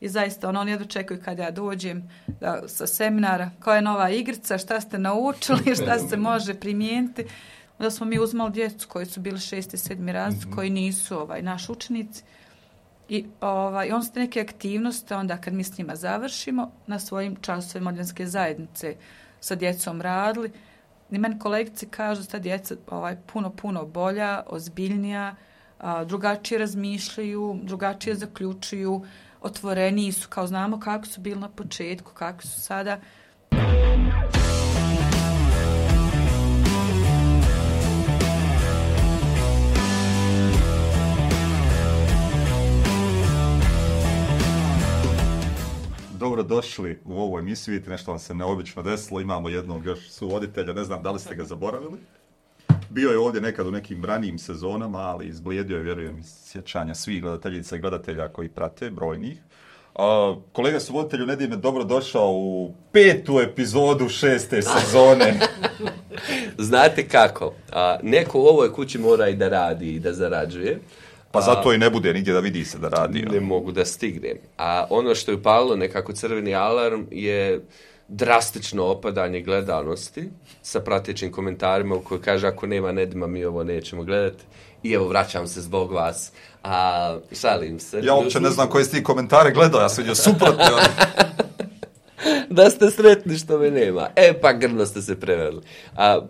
i zaista oni jedno čekaju kad ja dođem sa seminara, koja je nova igrica, šta ste naučili, šta se može primijeniti. Onda smo mi uzmali djecu koji su bili 6. i 7. razred, koji nisu naši učenici. I on su neke aktivnosti, onda kad mi s njima završimo, na svojim časovima modernske zajednice sa djecom radili. I meni kolegice kažu da ta djeca puno bolja, ozbiljnija, drugačije razmišljaju, drugačije zaključuju, otvoreniji su, kao znamo kako su bili na početku, kako su sada. Dobrodošli u ovu emisiju, vidite nešto vam se neobično desilo, imamo jednog još suvoditelja, ne znam da li ste ga zaboravili. Bio je ovdje nekad u nekim ranijim sezonama, ali izblijedio je, vjerujem, iz sjećanja svih gledateljica i gledatelja koji prate, brojnih. Kolega suvoditelju Nedime, dobrodošao u 5. epizodu 6. sezone. Znate kako, neko u ovoj kući mora i da radi i da zarađuje. Pa zato i ne bude nigdje da vidi se da radi. Ne mogu da stignem. A ono što je upalilo nekako crveni alarm je drastično opadanje gledanosti sa pratećim komentarima u kojoj kaže ako nema Nedima mi ovo nećemo gledati. I evo vraćam se zbog vas. Šalim se. Ja uopće ne znam koje ste komentare gledao, ja sam vidio suprotno. Da ste sretni što me nema. Pa grdno ste se preveli.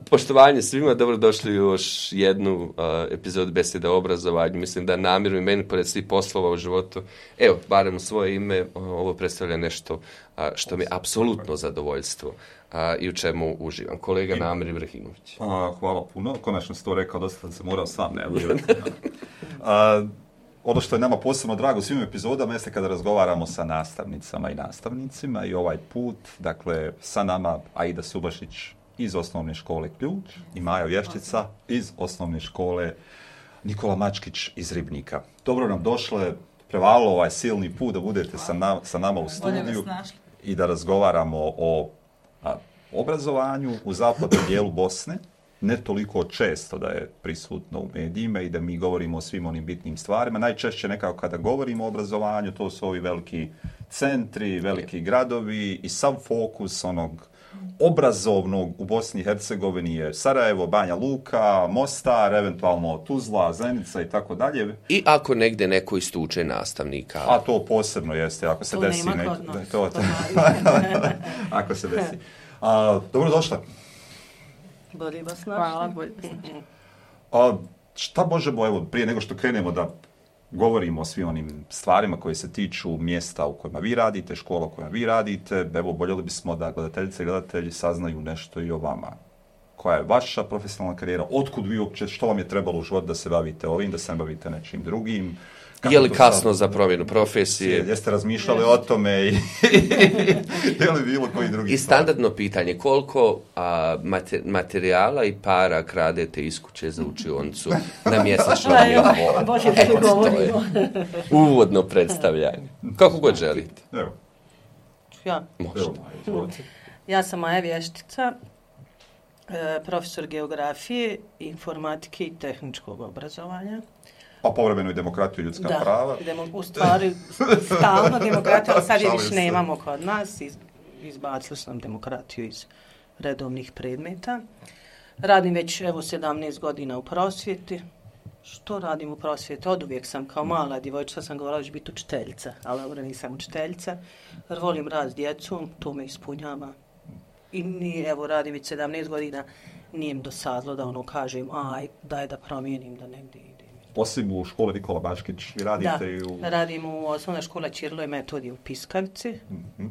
Poštovanje svima, dobrodošli u još jednu epizodu Beseda o obrazovanju. Mislim da namjeru i meni, pored svih poslova u životu, evo, barem u svoje ime, ovo predstavlja nešto što mi je apsolutno zadovoljstvo i u čemu uživam. Kolega Namir Ibrahimović. Hvala puno. Konačno ste to rekao, dosta se morao sam najavljivati. Ono što je nama posebno drago u svim epizodama jeste kada razgovaramo sa nastavnicama i nastavnicima i ovaj put, dakle, sa nama Aida Subašić iz osnovne škole Ključ i Maja Vješčica iz osnovne škole Nikola Mačkić iz Ribnika. Dobro nam došle, prevalilo ovaj silni put da budete sa nama u studiju i da razgovaramo o obrazovanju u zapadnom dijelu Bosne. Ne toliko često da je prisutno u medijima i da mi govorimo o svim onim bitnim stvarima. Najčešće nekako kada govorimo o obrazovanju, to su ovi veliki centri, veliki gradovi i sav fokus onog obrazovnog u Bosni i Hercegovini je Sarajevo, Banja Luka, Mostar, eventualno Tuzla, Zenica i tako dalje. I ako negdje neko istuče nastavnika. A to posebno jeste, ako se desi. Ako se desi. Dobrodošla. Bolje vas našli. Hvala, bolje vas našli. Šta možemo, evo, prije nego što krenemo da govorimo o svim onim stvarima koje se tiču mjesta u kojima vi radite, škola u kojima vi radite, evo, voljeli bismo da gledateljice i gledatelji saznaju nešto i o vama. Koja je vaša profesionalna karijera, otkud vi uopće, što vam je trebalo u životu da se bavite ovim, da se ne bavite nečim drugim? Je li kasno za promjenu profesije? Jeste razmišljali o tome i je li bilo koji drugi? I standardno pitanje, koliko materijala i para kradete iz kuće za učionicu na mjesečnom nivou? Uvodno predstavljanje. Kako god želite. Evo. Ja. Možete. Ja sam Maja Vještica, profesor geografije, informatike i tehničkog obrazovanja. Pa povremeno i demokratiju i ljudska prava. U stvari, stalno demokratiju, ali sad je više nemamo kod nas. Izbacili su nam demokratiju iz redovnih predmeta. Radim već, 17 godina u prosvjeti. Što radim u prosvjeti? Oduvijek sam kao mala djevojčica sam govorila da ću biti učiteljica, ali dobro nisam učiteljica. Jer volim rad s djecom, to me ispunjava. I radim već 17 godina, nije mi dosadlo da kažem, daj da promijenim, da negdje idem. Osim u škole Nikola Mačkić, vi radite i u... Da, radim u osnovnoj školi Ćirilo i Metodije u Piskavici.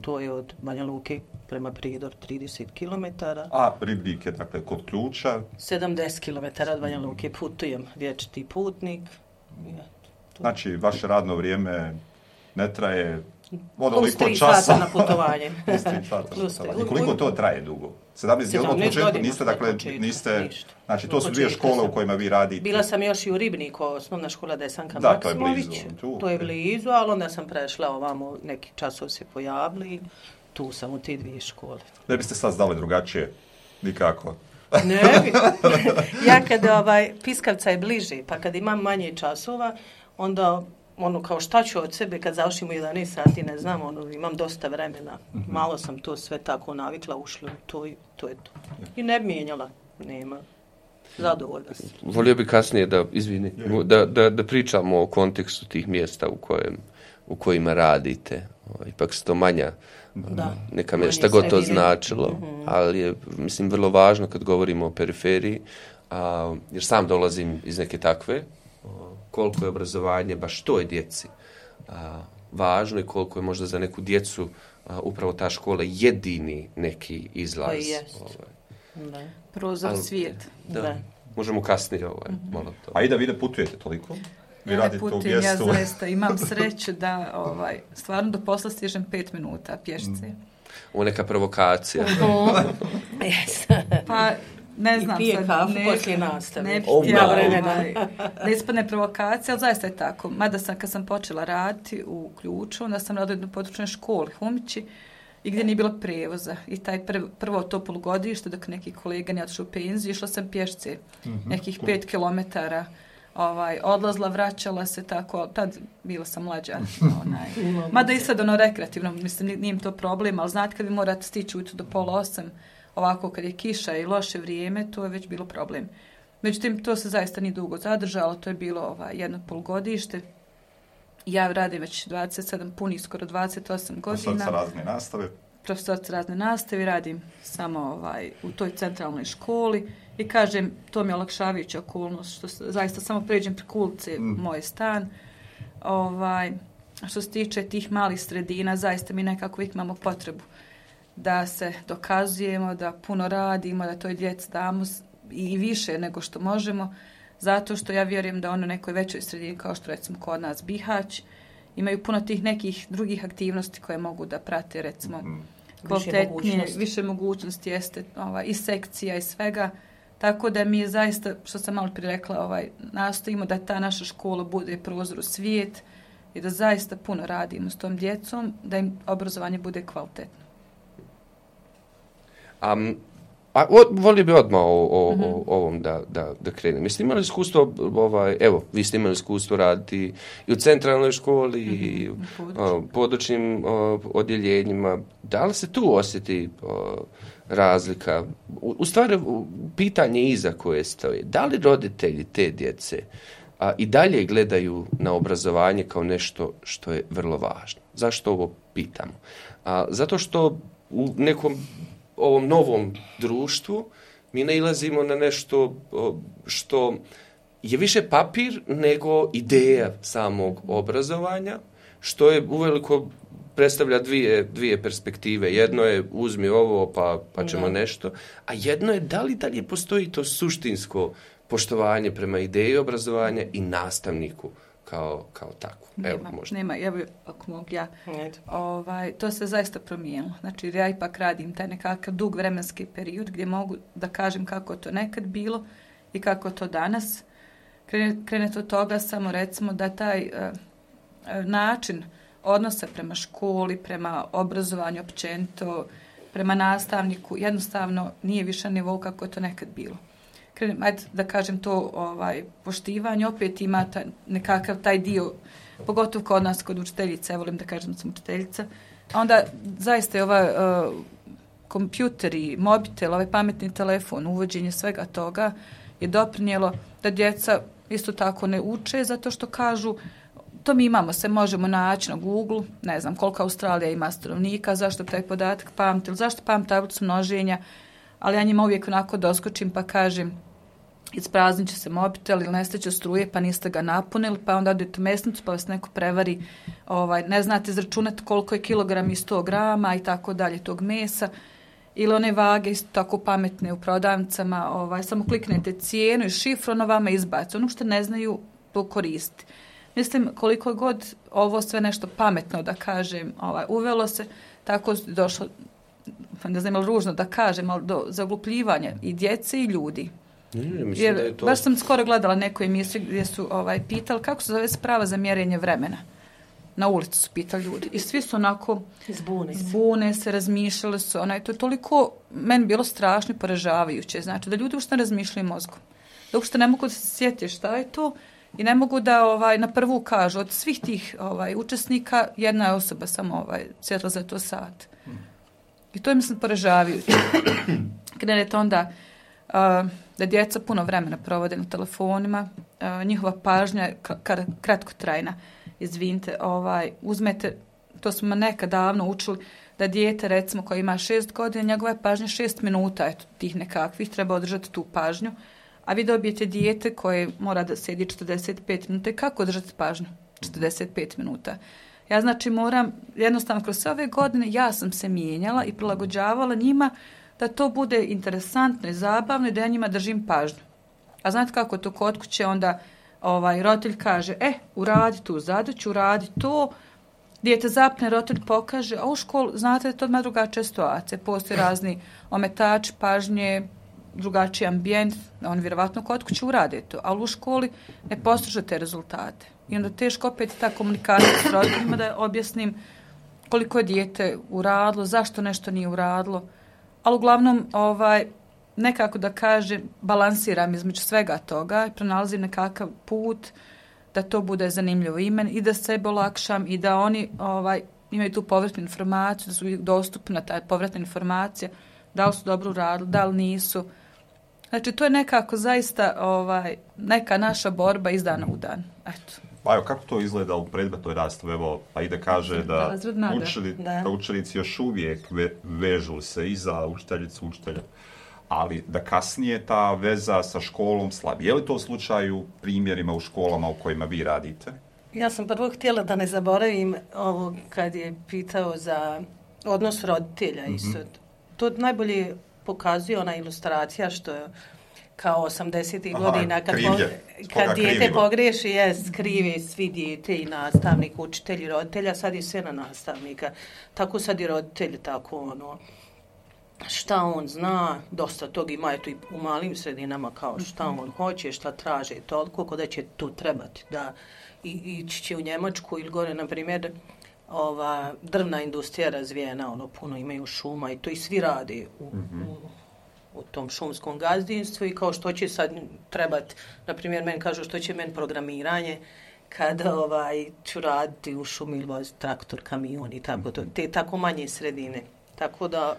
To je od Banja Luke prema Prijedoru 30 km. A Ribnik je, dakle, kod Ključa? 70 km od Banja Luke putujem, vječiti putnik. Znači, vaše radno vrijeme ne traje plus 3 sata na putovanje. I koliko to traje dugo? 17 godina niste, dakle, znači to su dvije škole u kojima vi radite. Bila sam još i u Ribniku, osnovna škola Desanka Maksimović. To je blizu, ali onda sam prešla ovamo, neki časov se pojavili, tu sam u te dvije škole. Ne biste sad znali drugačije, nikako. Ne bi. Ja kad Piskavca je bliže, pa kad imam manje časova, onda kao šta ću od sebe kad završim u 11 sati, ne znam, imam dosta vremena. Malo sam to sve tako navikla, ušla, to je to. I ne bi mijenjala, nema. Zadovoljna sam. Volio bi kasnije da pričamo o kontekstu tih mjesta u kojima radite. Ipak su to manja neka mjesta, šta god to značilo. Ali je, mislim, vrlo važno kad govorimo o periferiji, jer sam dolazim iz neke takve, koliko je obrazovanje baš toj djeci važno i koliko je možda za neku djecu upravo ta škola jedini neki izlaz. Prozor svijet. Da. Možemo kasnije malo to. A i da vi ne putujete toliko? Vi radite u mjestu. Ja zaista imam sreću da stvarno do posla stižem 5 minuta pješce. Ovo neka provokacija. Pa ne znam. I pije kafu poslije nastave. Da ispadne provokacija, ali zaista je tako. Mada kad sam počela raditi u Ključu, onda sam radila u područnoj školi Humići i gdje nije bilo prijevoza. I taj prvo to polugodište, dok neki kolega nije otišao u penziju, išla sam pješce nekih 5 kilometara. Odlazla, vraćala se tako, tad bila sam mlađa. Mada i sad rekreativno, mislim, nije im to problem, ali znate kad vi morate stići ujutro do 7:30, ovako kad je kiša i loše vrijeme, to je već bilo problem. Međutim, to se zaista nije dugo zadržalo, to je bilo jedno polugodište. Ja radim već 27 punih, skoro 28 godina. Profesorica razne nastave. Profesorica razne nastave, radim samo u toj centralnoj školi i kažem, to mi je olakšavajuća okolnost, što zaista samo pređem preko ulice moj stan. Što se tiče tih malih sredina, zaista mi nekako uvijek imamo potrebu da se dokazujemo, da puno radimo, da toj djeci damo i više nego što možemo, zato što ja vjerujem da ono nekoj većoj sredini, kao što recimo kod nas Bihać, imaju puno tih nekih drugih aktivnosti koje mogu da prate, recimo, kvalitetnije, više mogućnosti jeste i sekcija i svega, tako da mi je zaista, što sam malo prije rekla, nastojimo da ta naša škola bude prozor u svijet i da zaista puno radimo s tom djecom, da im obrazovanje bude kvalitetno. Volio bi odmah o ovom da krenem. Jeste imali iskustvo, vi ste imali iskustvo raditi i u centralnoj školi i u područnim odjeljenjima. Da li se tu osjeti razlika? U stvari, pitanje iza koje stoje. Da li roditelji te djece i dalje gledaju na obrazovanje kao nešto što je vrlo važno? Zašto ovo pitamo? Zato što u nekom ovom novom društvu mi nailazimo na nešto što je više papir nego ideja samog obrazovanja, što je uveliko predstavlja dvije perspektive. Jedno je uzmi ovo pa ćemo nešto, a jedno je da li dalje postoji to suštinsko poštovanje prema ideji obrazovanja i nastavniku kao takvu. Nema, ako mogu ja. To se zaista promijenilo. Znači, ja ipak radim taj nekakav dug vremenski period gdje mogu da kažem kako to nekad bilo i kako to danas. Krenet od toga samo recimo da taj način odnosa prema školi, prema obrazovanju općenito, prema nastavniku, jednostavno nije više nivou kako je to nekad bilo. Ajde da kažem to poštivanje, opet ima nekakav taj dio, pogotovo kod nas, kod učiteljica, ja volim da kažem da sam učiteljica, onda zaista je kompjuteri, mobitel, pametni telefon, uvođenje svega toga je doprinijelo da djeca isto tako ne uče, zato što kažu, to mi imamo, se možemo naći na Google, ne znam koliko Australija ima stanovnika, zašto taj podatak pamti, zašto pamti tablicu množenja, ali ja njima uvijek onako doskočim pa kažem, ispraznit će se mobitel ili nestaće struje pa niste ga napunili, pa onda odete u mesnicu pa vas neko prevari, ne znate izračunati koliko je kilogram i 100 grama i tako dalje tog mesa, ili one vage isto tako pametne u prodavnicama, samo kliknete cijenu i šifru, ono vama izbaci. Ono što ne znaju to koristiti. Mislim, koliko god ovo sve nešto pametno da kažem, uvelo se, tako došlo, ne znam ili ružno da kažem, ali do zaglupljivanja i djece i ljudi. Jer, da je to... Baš sam skoro gledala neku emisiju gdje su pitali kako se zove sprava za mjerenje vremena. Na ulici su pitali ljudi. I svi su onako zbune se, razmišljali su. To je toliko meni bilo strašno i poražavajuće. Znači da ljudi uopšte ne razmišljaju mozgom. Da uopšte ne mogu da se sjetiti šta je to. I ne mogu da na prvu kažu, od svih tih učesnika, jedna je osoba samo sjedla za to sat. I to je, mislim, poražavajuće. Krenete onda da djeca puno vremena provode na telefonima, njihova pažnja je kratkotrajna. Izvinite, uzmete, to smo nekad davno učili, da dijete, recimo, koje ima 6 godina, njegova je pažnja 6 minuta, eto, tih nekakvih, treba održati tu pažnju. A vi dobijete dijete koje mora da sjedi 45 minuta. I kako održati pažnju 45 minuta? Ja, znači, moram, jednostavno, kroz sve ove godine, ja sam se mijenjala i prilagođavala njima da to bude interesantno i zabavno i da ja njima držim pažnju. A znate kako to kod kuće onda roditelj kaže, uradi tu zadaću, uradi to, dijete zapne, roditelj pokaže, a u školu, znate, to odmah drugačija situacija. Postoje razni ometači pažnje, drugačiji ambijent, oni vjerovatno kod kuće urade to, ali u školi ne postiže te rezultate. I onda teško opet ta komunikacija s roditeljima da objasnim koliko je dijete uradilo, zašto nešto nije uradilo, ali uglavnom nekako da kažem, balansiram između svega toga i pronalazim nekakav put da to bude zanimljivo imen i da sebe olakšam i da oni imaju tu povratnu informaciju, da su dostupna ta povratna informacija, da li su dobro uradili, da li nisu. Znači, to je nekako zaista neka naša borba iz dana u dan. Eto. Pa evo, kako to izgleda u predmetnoj nastavi? Evo, Aida kaže da učenici još uvijek vežu se i za učiteljicu, učitelja, ali da kasnije ta veza sa školom slabi. Je li to u slučaju primjerima u školama u kojima vi radite? Ja sam prvo htjela da ne zaboravim ovo kad je pitao za odnos roditelja isto. To najbolje pokazuje ona ilustracija što je kao 80. godina kad dijete pogriješi, krive svi dijete i nastavnik, učitelj i roditelja, sad je sve na nastavnika. Tako sad i roditelji, tako šta on zna, dosta tog ima je tu i u malim sredinama kao šta on hoće, šta traže, toliko kod da će tu trebati da ići će u Njemačku ili gore, na primjer, drvna industrija razvijena, puno imaju šuma i to i svi radi u tom šumskom gazdinstvu i kao što će sad trebati, na primjer, meni kažu što će meni programiranje kada ću raditi u šumi ili voziti traktor, kamion i tako to, te tako manje sredine. Tako da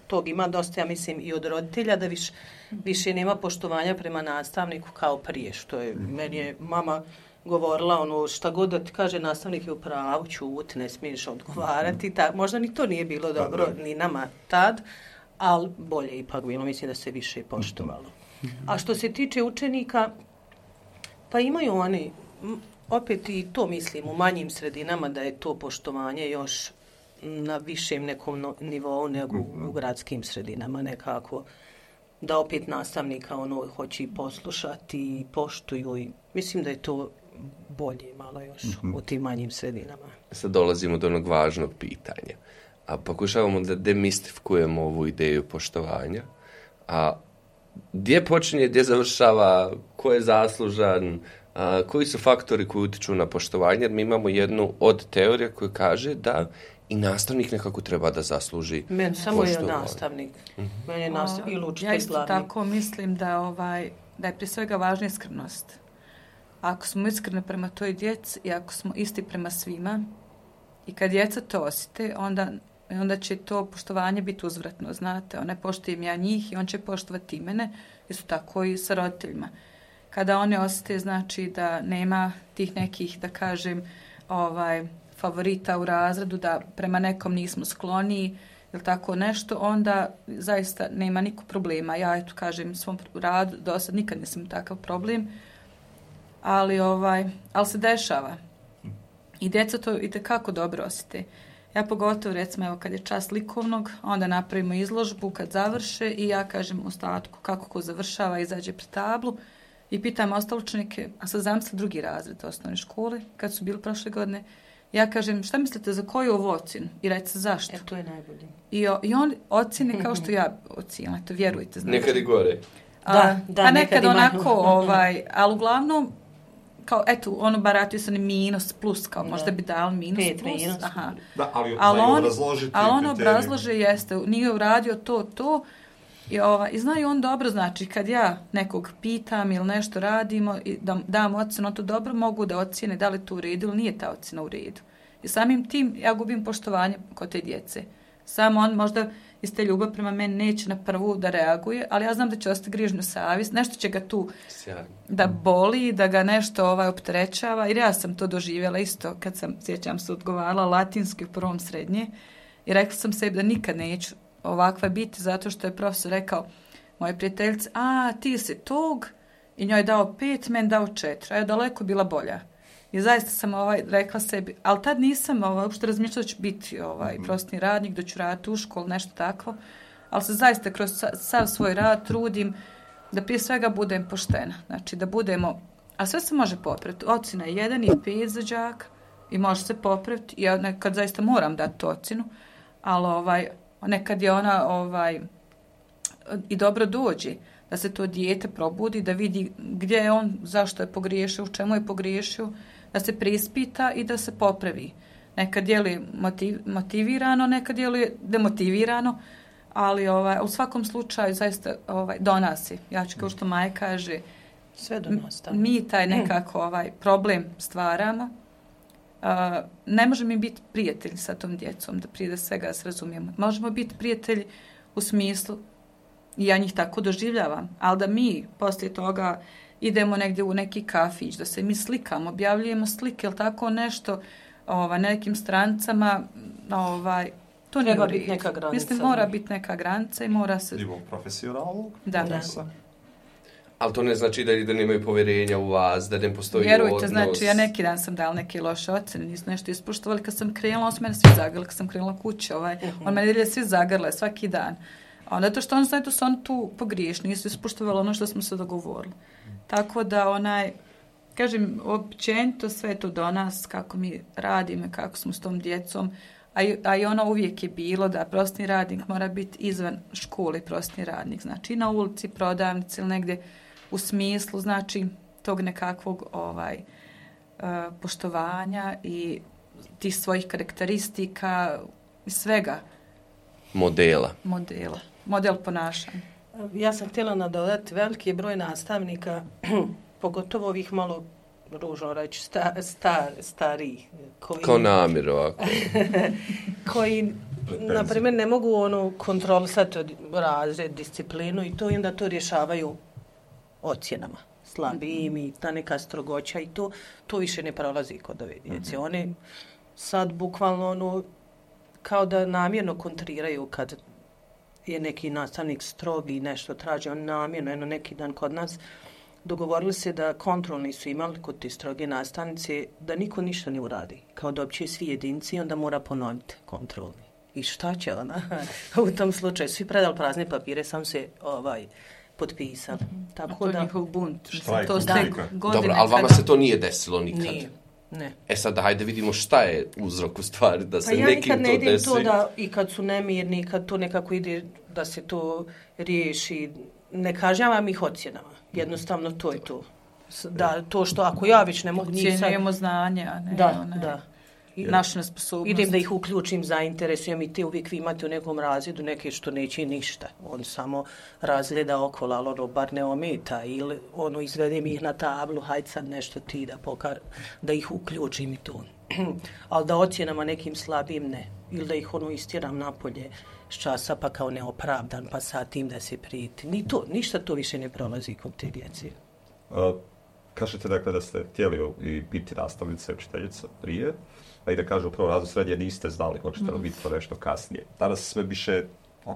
tog ima dosta, ja mislim, i od roditelja da više nema poštovanja prema nastavniku kao prije, što je, meni je mama govorila šta god da ti kaže nastavnik je u pravu, ćuti, ne smiješ odgovarati. Možda ni to nije bilo dobro ni nama tad, ali bolje ipak bilo, mislim da se više poštovalo. A što se tiče učenika, pa imaju oni, opet i to mislim, u manjim sredinama da je to poštovanje još na višem nekom nivou nego u gradskim sredinama nekako. Da opet nastavnika hoće i poslušati i poštuju i mislim da je to bolje malo još u tim manjim sredinama. Sad dolazimo do onog važnog pitanja. A pokušavamo da demistifikujemo ovu ideju poštovanja. A gdje počinje, gdje završava, ko je zaslužan, koji su faktori koji utiču na poštovanje, jer mi imamo jednu od teorija koja kaže da i nastavnik nekako treba da zasluži meni samo je nastavnik. Meni je nastavnik ili učitelj glavni. Ja isto tako mislim da je prije svega važna iskrenost. Ako smo iskreni prema toj djeci i ako smo isti prema svima i kad djeca to osjete, onda će to poštovanje biti uzvratno, znate. Ne poštujem ja njih i on će poštovati mene, isto tako i sa roditeljima. Kada oni osjete, znači da nema tih nekih, da kažem, favorita u razredu, da prema nekom nismo skloniji ili tako nešto, onda zaista nema niko problema. Ja eto kažem svom radu, do sad nikad nisam takav problem, ali se dešava. I djeca to itekako dobro osjete. Ja pogotovo, recimo, evo kad je čas likovnog, onda napravimo izložbu kad završe i ja kažem ostatku kako ko završava, izađe pred tablu i pitam ostale učenike, a sad zamisli drugi razred osnovne škole, kad su bili prošle godine, ja kažem, šta mislite za koju ovu ocjenu? I recite zašto? To je najbolje. I on ocjene kao što ja ocijenila, to vjerujte. Znači. Nekad i gore. Da, nekad onako, ali uglavnom, kao, eto, baratio se minus, plus, kao možda bi dali minus, plus. Minus. Aha. Da, ali on obrazlože, jeste, nije uradio to, I znaju on dobro, znači kad ja nekog pitam ili nešto radimo i da dam ocjenu, to dobro mogu da ocjene da li to u redu ili nije ta ocjena u redu. I samim tim ja gubim poštovanje kod te djece. Samo on možda iz te ljubav prema meni neće na prvu da reaguje, ali ja znam da će ostati grižnju savjest, nešto će ga tu da boli, da ga nešto opterećava, jer ja sam to doživjela isto kad sam, sjećam se, odgovarala latinski u prvom srednje i rekla sam sebi da nikad neću ovakva biti, zato što je profesor rekao moje prijateljice, ti si tog, i njoj dao 5, meni dao 4, a je daleko bila bolja. I zaista sam rekla sebi, ali tad nisam uopšte razmišljala da ću biti prosvetni radnik, da ću raditi u školu, nešto takvo, ali se zaista kroz sav svoj rad trudim da prije svega budem poštena. Znači da budemo, a sve se može popraviti. Ocjena je 1 i 5 za đaka i može se popraviti. Ja nekad zaista moram dati tu ocjenu, ali nekad je ona i dobro dođe da se to dijete probudi, da vidi gdje je on, zašto je pogriješio, u čemu je pogriješio, da se preispita i da se popravi. Nekad djeluje motivirano, nekad djeluje demotivirano, ali u svakom slučaju zaista do nas je. Ja ću kao što Maja kaže, sve do nas, mi taj nekako problem stvaramo. Ne možemo mi biti prijatelji sa tom djecom, da prije da svega se razumijemo. Možemo biti prijatelji u smislu, i ja njih tako doživljavam, ali da mi poslije toga idemo negdje u neki kafić, da se mi slikamo, objavljujemo slike ili tako nešto na nekim strancama, to nije treba biti neka granica. Mislim, mora biti neka granica i mora se... Nivo profesionalnog. Da. Ali to ne znači da nemaju povjerenja u vas, da ne postoji vjerujte, odnos. znači ja neki dan sam dala neke loše ocjene, nisu nešto ispoštovali, kad sam krenula, on su mene svi zagrli, kad sam krenula kuće, on mene svi zagrle svaki dan. Zato što on znaju da su oni tu pogriješni, nisu ispoštovali ono što smo se dogovorili. Tako da kažem, općenito sve to do nas, kako mi radimo, kako smo s tom djecom, a i ono uvijek je bilo da prosvetni radnik mora biti izvan škole prosvetni radnik, znači i na ulici, prodavnici ili negdje u smislu, znači tog nekakvog poštovanja i tih svojih karakteristika i svega. Model ponašanja. Ja sam htjela nadodati, veliki je broj nastavnika, pogotovo ovih malo ružno reći, stariji. Kao namjer ovako. Koji, na primjer, ne mogu kontrolisati razred, disciplinu i to, i onda to rješavaju ocjenama. Slabijim i ta neka strogoća i to više ne prolazi kod ove djece. Oni sad bukvalno kao da namjerno kontriraju kad je neki nastavnik strog i nešto traži, on namjerno, neki dan kod nas dogovorili se da kontrolni su imali kod ti stroge nastavnice, da niko ništa ne uradi. Kao da opće svi jedinci, onda mora ponoviti kontrolni. I šta će ona? U tom slučaju svi predali prazne papire, sam se potpisali. Tako da njihov bunt. Dobro, ali vama se to nije desilo nikad? Nije. Ne. Sad, hajde vidimo šta je uzrok u stvari, da se nekim to desi. Pa ja nikad ne idem to da, i kad su nemirni, kad to nekako ide da se to riješi, ne kažnjavam ih ocjenama. Jednostavno to je to. Da, to što ako ja već ne mogu njih sad... Ocjenjujemo znanje, a ne da. Našu nesposobnost. Idem da ih uključim, zainteresujem i te uvijek vi imate u nekom razredu neke što neće ništa. On samo razgleda okolo, ali bar ne ometa ili izvedem ih na tablu, hajde sad nešto ti da ih uključim i to. Ali da ocjenama nekim slabijim ne. Ili da ih istjeram napolje s časa pa kao neopravdan, pa sad tim da se prijeti. Ništa to više ne prolazi kod te djece. Kažete dakle da ste htjeli i biti nastavnice, učiteljica prije, pa i da kažu u prvom razredu srednje niste znali, hoćete li biti to nešto kasnije. Danas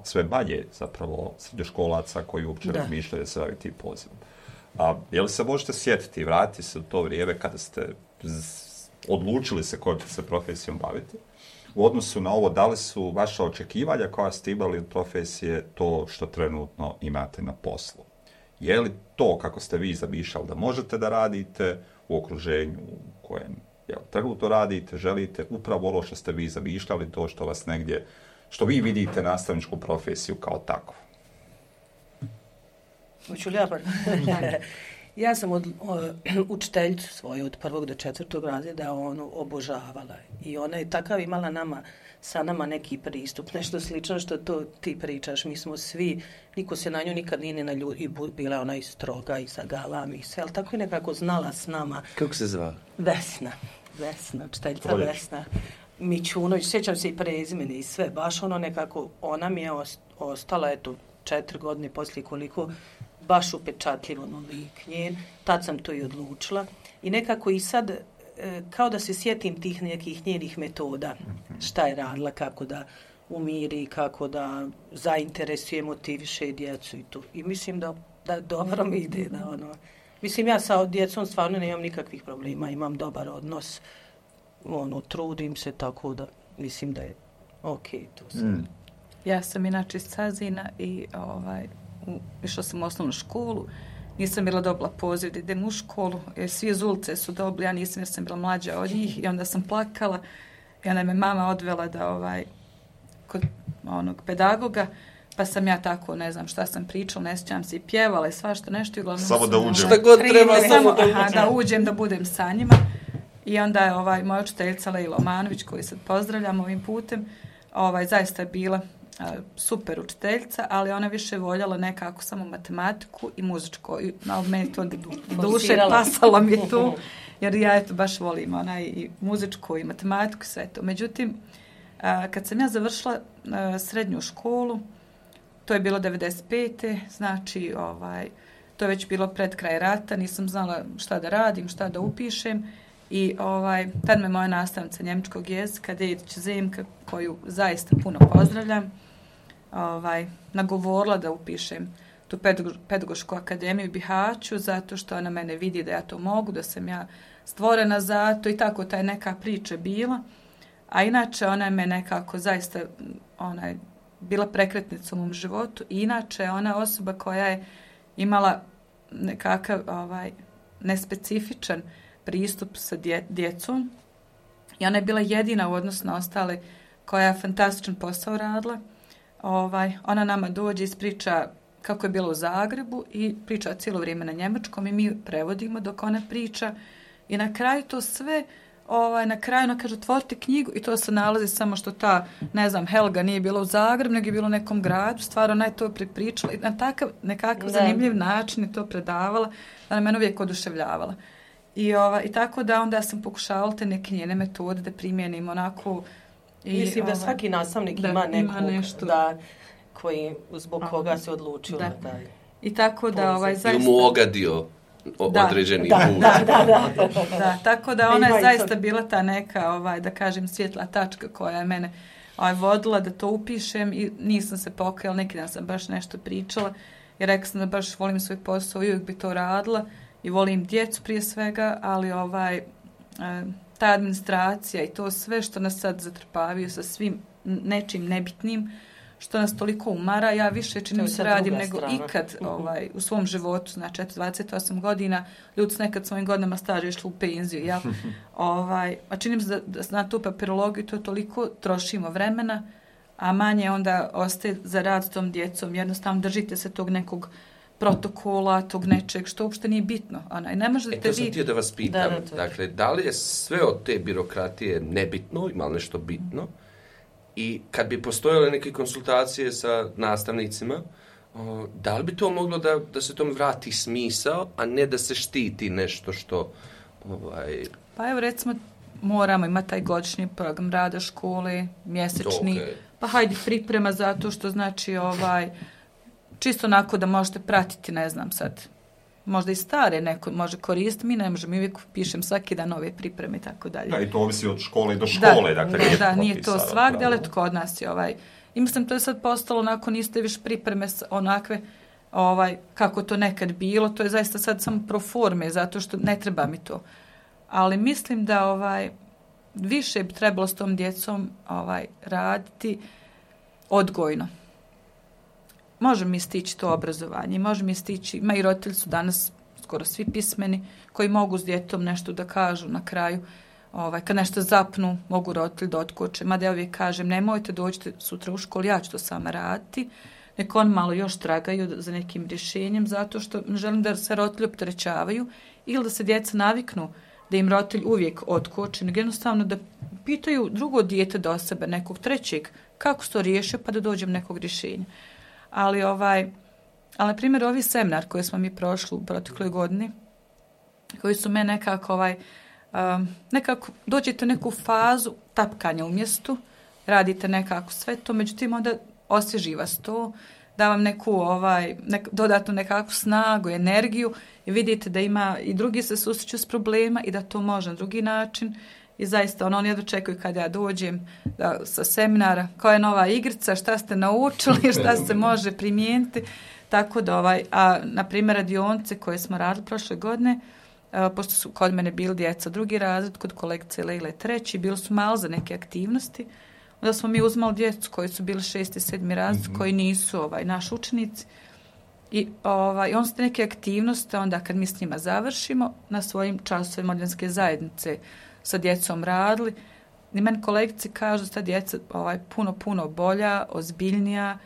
sve manje zapravo srednjoškolaca koji uopće razmišljaju da se bavi tim pozivom. Je li se možete sjetiti i vratiti se u to vrijeme kada ste odlučili se kojom će se profesijom baviti? U odnosu na ovo, da li su vaša očekivanja koja ste imali od profesije to što trenutno imate na poslu? Je li to kako ste vi zamišljali da možete da radite u okruženju u kojem trenutno radite, želite upravo ono što ste vi zamišljali, to što vas negdje, što vi vidite nastavničku profesiju kao takvu? Hoću li ja Ja sam učiteljicu svoju od 1. do 4. razreda obožavala i ona je takav imala nama sa nama neki pristup, nešto slično što to ti pričaš. Mi smo svi, niko se na nju nikad nije naljutio, i bila je ona i stroga i sa galami i sve, ali tako je nekako znala s nama. Kako se zva? Vesna, učiteljica Vesna Mićunović, sjećam se i prezimene i sve, baš ono nekako, ona mi je ostala, eto, 4 godine poslije koliko, baš upečatljivo lik njen, tad sam to i odlučila i nekako i sad, kao da se sjetim tih nekih njenih metoda, šta je radila, kako da umiri, kako da zainteresuje, motiviše djecu i to. I mislim da dobro mi ide, da ono, mislim ja sa djecom stvarno nemam nikakvih problema, imam dobar odnos, ono, trudim se tako da mislim da je okej to sve. Ja sam inače iz Cazina i išla sam u osnovnu školu, nisam bila dobila poziv da idem u školu, jer svi iz ulice su dobili, ja nisam jer sam bila mlađa od njih i onda sam plakala i onda me mama odvela da kod onog pedagoga, pa sam ja tako, ne znam šta sam pričala, ne sjećam se i pjevala i svašta nešto. I uglavnom samo da uđem. Šta god treba, samo da uđem, da budem sa njima. I onda je moja učiteljica Lejla Omanović, koju sad pozdravljam ovim putem, zaista je bila super učiteljica, ali ona više voljela nekako samo matematiku i muzičko. Ali meni to duše pasalo mi je tu, jer ja eto baš volim i muzičko i matematiku i sve to. Međutim, kad sam ja završila srednju školu, to je bilo 95. Znači, to je već bilo pred kraj rata, nisam znala šta da radim, šta da upišem. I tad me moja nastavnica njemačkog jezika, Dedić Zemka, koju zaista puno pozdravljam, nagovorila da upišem tu pedagošku akademiju u Bihaću, zato što ona mene vidi da ja to mogu, da sam ja stvorena za to i tako ta je neka priča bila. A inače ona je me nekako zaista bila prekretnica u mom životu i inače ona osoba koja je imala nekakav nespecifičan pristup sa djecom i ona je bila jedina u odnosu na ostale koja je fantastičan posao radila. Ona nama dođe i ispriča kako je bilo u Zagrebu i priča cijelo vrijeme na njemačkom i mi prevodimo dok ona priča i na kraju to sve na kraju ona kaže otvorite knjigu i to se nalazi samo što ta, ne znam, Helga nije bila u Zagrebu, nego je bila u nekom gradu, stvarno ona je to pripričala i na takav nekakav zanimljiv način je to predavala, ona mene uvijek oduševljavala. I tako da onda sam pokušavala te neke njene metode da primijenim onako. Mislim da svaki nastavnik ima nekog koji zbog koga se odlučio da taj. I tako da zaista... I mu ogadio određeni put. Da, tako da ona je zaista bila ta neka, da kažem, svjetla tačka koja je mene vodila da to upišem i nisam se pokajala, neki dan sam baš nešto pričala i rekla sam da baš volim svoj posao i uvijek bi to radila. I volim djecu prije svega, ali ta administracija i to sve što nas sad zatrpavaju sa svim nečim nebitnim, što nas toliko umara, ja više čini se radim nego ikad u svom životu, znači 28 godina, ljudi su nekad svojim godinama staža išli u penziju, ja, a čini mi se da na tu papirologiju to toliko trošimo vremena, a manje onda ostaje za rad s tom djecom, jednostavno držite se tog nekog protokola, tog nečeg, što uopšte nije bitno. Ne možete to sam htio da vas pitam. Dakle, da li je sve od te birokratije nebitno, ima li nešto bitno? I kad bi postojale neke konsultacije sa nastavnicima, da li bi to moglo da se tom vrati smisao, a ne da se štiti nešto što... Pa evo recimo, moramo imati taj godišnji program rada škole, mjesečni, pa hajde priprema zato što znači čisto onako da možete pratiti, ne znam sad, možda i stare neko može koristiti, mi ne možemo, mi uvijek pišem svaki dan nove pripreme i tako dalje. Da, i to ovisi od škole do škole. Da, nije to svakde, ali kod nas je i mislim to je sad postalo onako, niste više pripreme onakve, kako to nekad bilo, to je zaista sad samo pro forme, zato što ne treba mi to. Ali mislim da više bi trebalo s tom djecom raditi odgojno. Može mi stići to obrazovanje, može mi stići, ima i roditelji su danas skoro svi pismeni, koji mogu s djetom nešto da kažu na kraju, kad nešto zapnu, mogu roditelji da otkoče, mada ja uvijek kažem, nemojte dođite sutra u školu, ja ću to sama raditi, neko on malo još tragaju za nekim rješenjem, zato što želim da se roditelji opterećavaju ili da se djeca naviknu da im roditelj uvijek otkoči, nego jednostavno da pitaju drugo dijete do sebe, nekog trećeg, kako se to riješe, pa da dođem nekog rješenja. Ali na primjer, ovi seminar koji smo mi prošli u protekloj godini, koji su me nekako dođete u neku fazu tapkanja u mjestu, radite nekako sve to, međutim onda osvježi vas to, da vam neku dodatnu nekakvu snagu, energiju i vidite da ima i drugi se susreću s problema i da to može na drugi način. I zaista oni jedno čekaju kad ja dođem sa seminara, koja je nova igrica, šta ste naučili, šta se može primijeniti. Tako da na primjer radionice koje smo radili prošle godine, pošto su kod mene bili djeca drugi razred, kod kolegice Lejle treći, bili su malo za neke aktivnosti. Onda smo mi uzmali djecu koji su bili 6. i 7. razred, koji nisu naši učenici. I on su neke aktivnosti, onda kad mi s njima završimo, na svojim časovima modljanske zajednice sa djecom radili. I meni kolegice kažu da ta djeca puno bolja, ozbiljnija,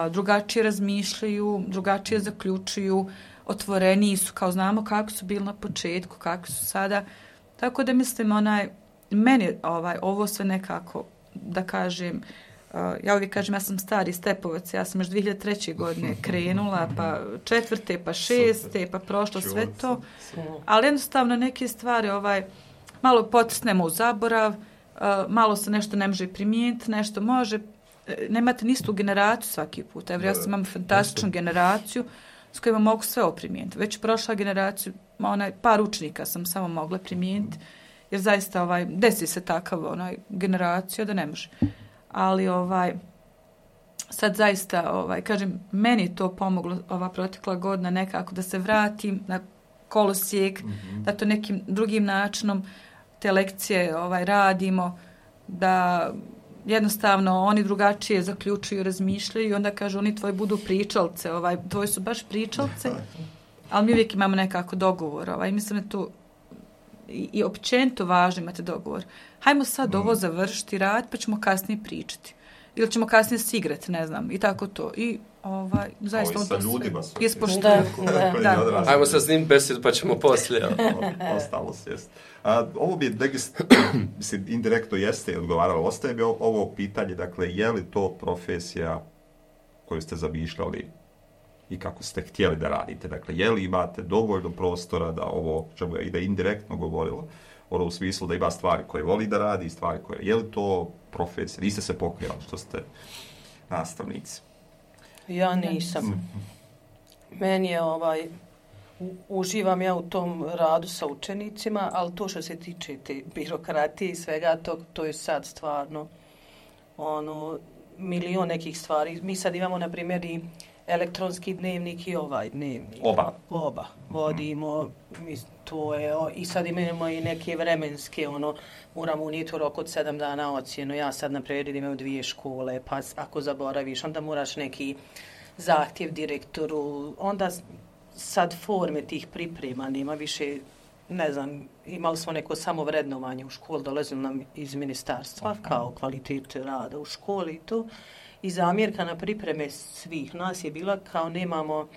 drugačije razmišljaju, drugačije zaključuju, otvoreniji su, kao znamo kako su bili na početku, kako su sada. Tako da mislim, meni ovo sve nekako, da kažem, ja uvijek kažem, ja sam stari stepovac, ja sam još 2003. godine krenula, pa 4. pa 6. pa prošlo sve to, ali jednostavno neke stvari malo potisnemo u zaborav, malo se nešto ne može primijeniti, nešto može, nemate nistu generaciju svaki put. Evo, ja sam imam fantastičnu generaciju s kojima mogu sve primijeniti. Već prošla generaciju, par učenika sam samo mogla primijeniti, jer zaista desi se takav generaciju da ne može. Ali sad zaista, kažem, meni je to pomoglo ova protekla godina nekako da se vratim na kolosijek, da to nekim drugim načinom te lekcije radimo, da jednostavno oni drugačije zaključuju, razmišljaju i onda kažu oni tvoji budu pričalce, tvoji su baš pričalce, ali mi uvijek imamo nekako dogovor. Mislim da to i općenito važno imate dogovor. Hajmo sad ovo završiti, rad, pa ćemo kasnije pričati. Ili ćemo kasnije se igrati, ne znam, i tako to. I zaista on to sve ispoštuje. Ajmo sad s njim besed, pa ćemo poslije. Ostalo sjest. Ovo bi indirektno jeste odgovaralo. Ostaje bi ovo pitanje, dakle, je li to profesija koju ste zamišljali i kako ste htjeli da radite? Dakle, je li imate dovoljno prostora da ovo, čemu je i da indirektno govorilo, u smislu da ima stvari koje voli da radi i stvari koje... Je li to profesija? Niste se pokrijali što ste nastavnici? Ja nisam. Meni je uživam ja u tom radu sa učenicima, ali to što se tiče te birokratije i svega, to je sad stvarno milion nekih stvari. Mi sad imamo, na primjer, i elektronski dnevnik i dnevnik. Oba. Vodimo, to je, i sad imamo i neke vremenske, moramo unijeti u rok od 7 dana ocjenu. Ja sad, na primjer, imam 2 škole, pa ako zaboraviš, onda moraš neki zahtjev direktoru, onda sad forme tih priprema, nema više, ne znam, imali smo neko samovrednovanje u školi, dolazilo nam iz ministarstva kao kvalitet rada u školi i to. I zamjerka na pripreme svih nas je bila kao nemamo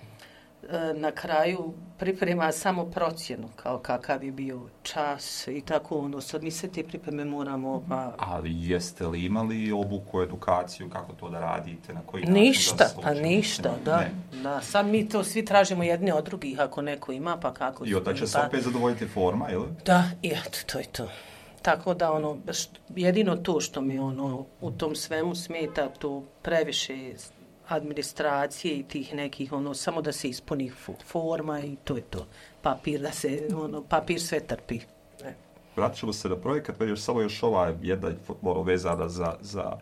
na kraju priprema samo procjenu, kao kakav je bio čas i tako sad mi se te pripreme moramo... Ali jeste li imali obuku, edukaciju, kako to da radite, na koji način? Ništa, da. Sad mi to svi tražimo jedne od drugih, ako neko ima, pa kako... I onda će se opet zadovoljiti forma, ili? Da, i eto, to je to. Tako da jedino to što mi u tom svemu smeta, to previše administracije i tih nekih, samo da se ispuni forma i to je to. Papir sve trpi. Vratit ćemo se na projekat, već samo još ova jedna vezana za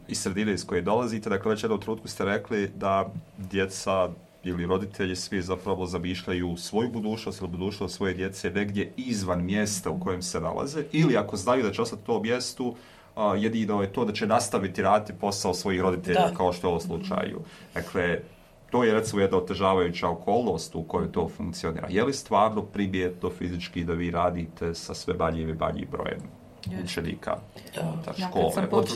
iz sredine iz koje dolazite. Dakle, već jednom trenutku ste rekli da djeca ili roditelji svi zapravo zamišljaju svoju budućnost ili budućnost svoje djece negdje izvan mjesta u kojem se nalaze, ili ako znaju da će ostati u tom mjestu, jedino je to da će nastaviti raditi posao svojih roditelja, kao što je u ovom slučaju. Dakle, to je recimo jedna otežavajuća okolnost u kojoj to funkcionira. Je li stvarno primjetno fizički da vi radite sa sve manjim i manjim brojem učenika Ja, škole.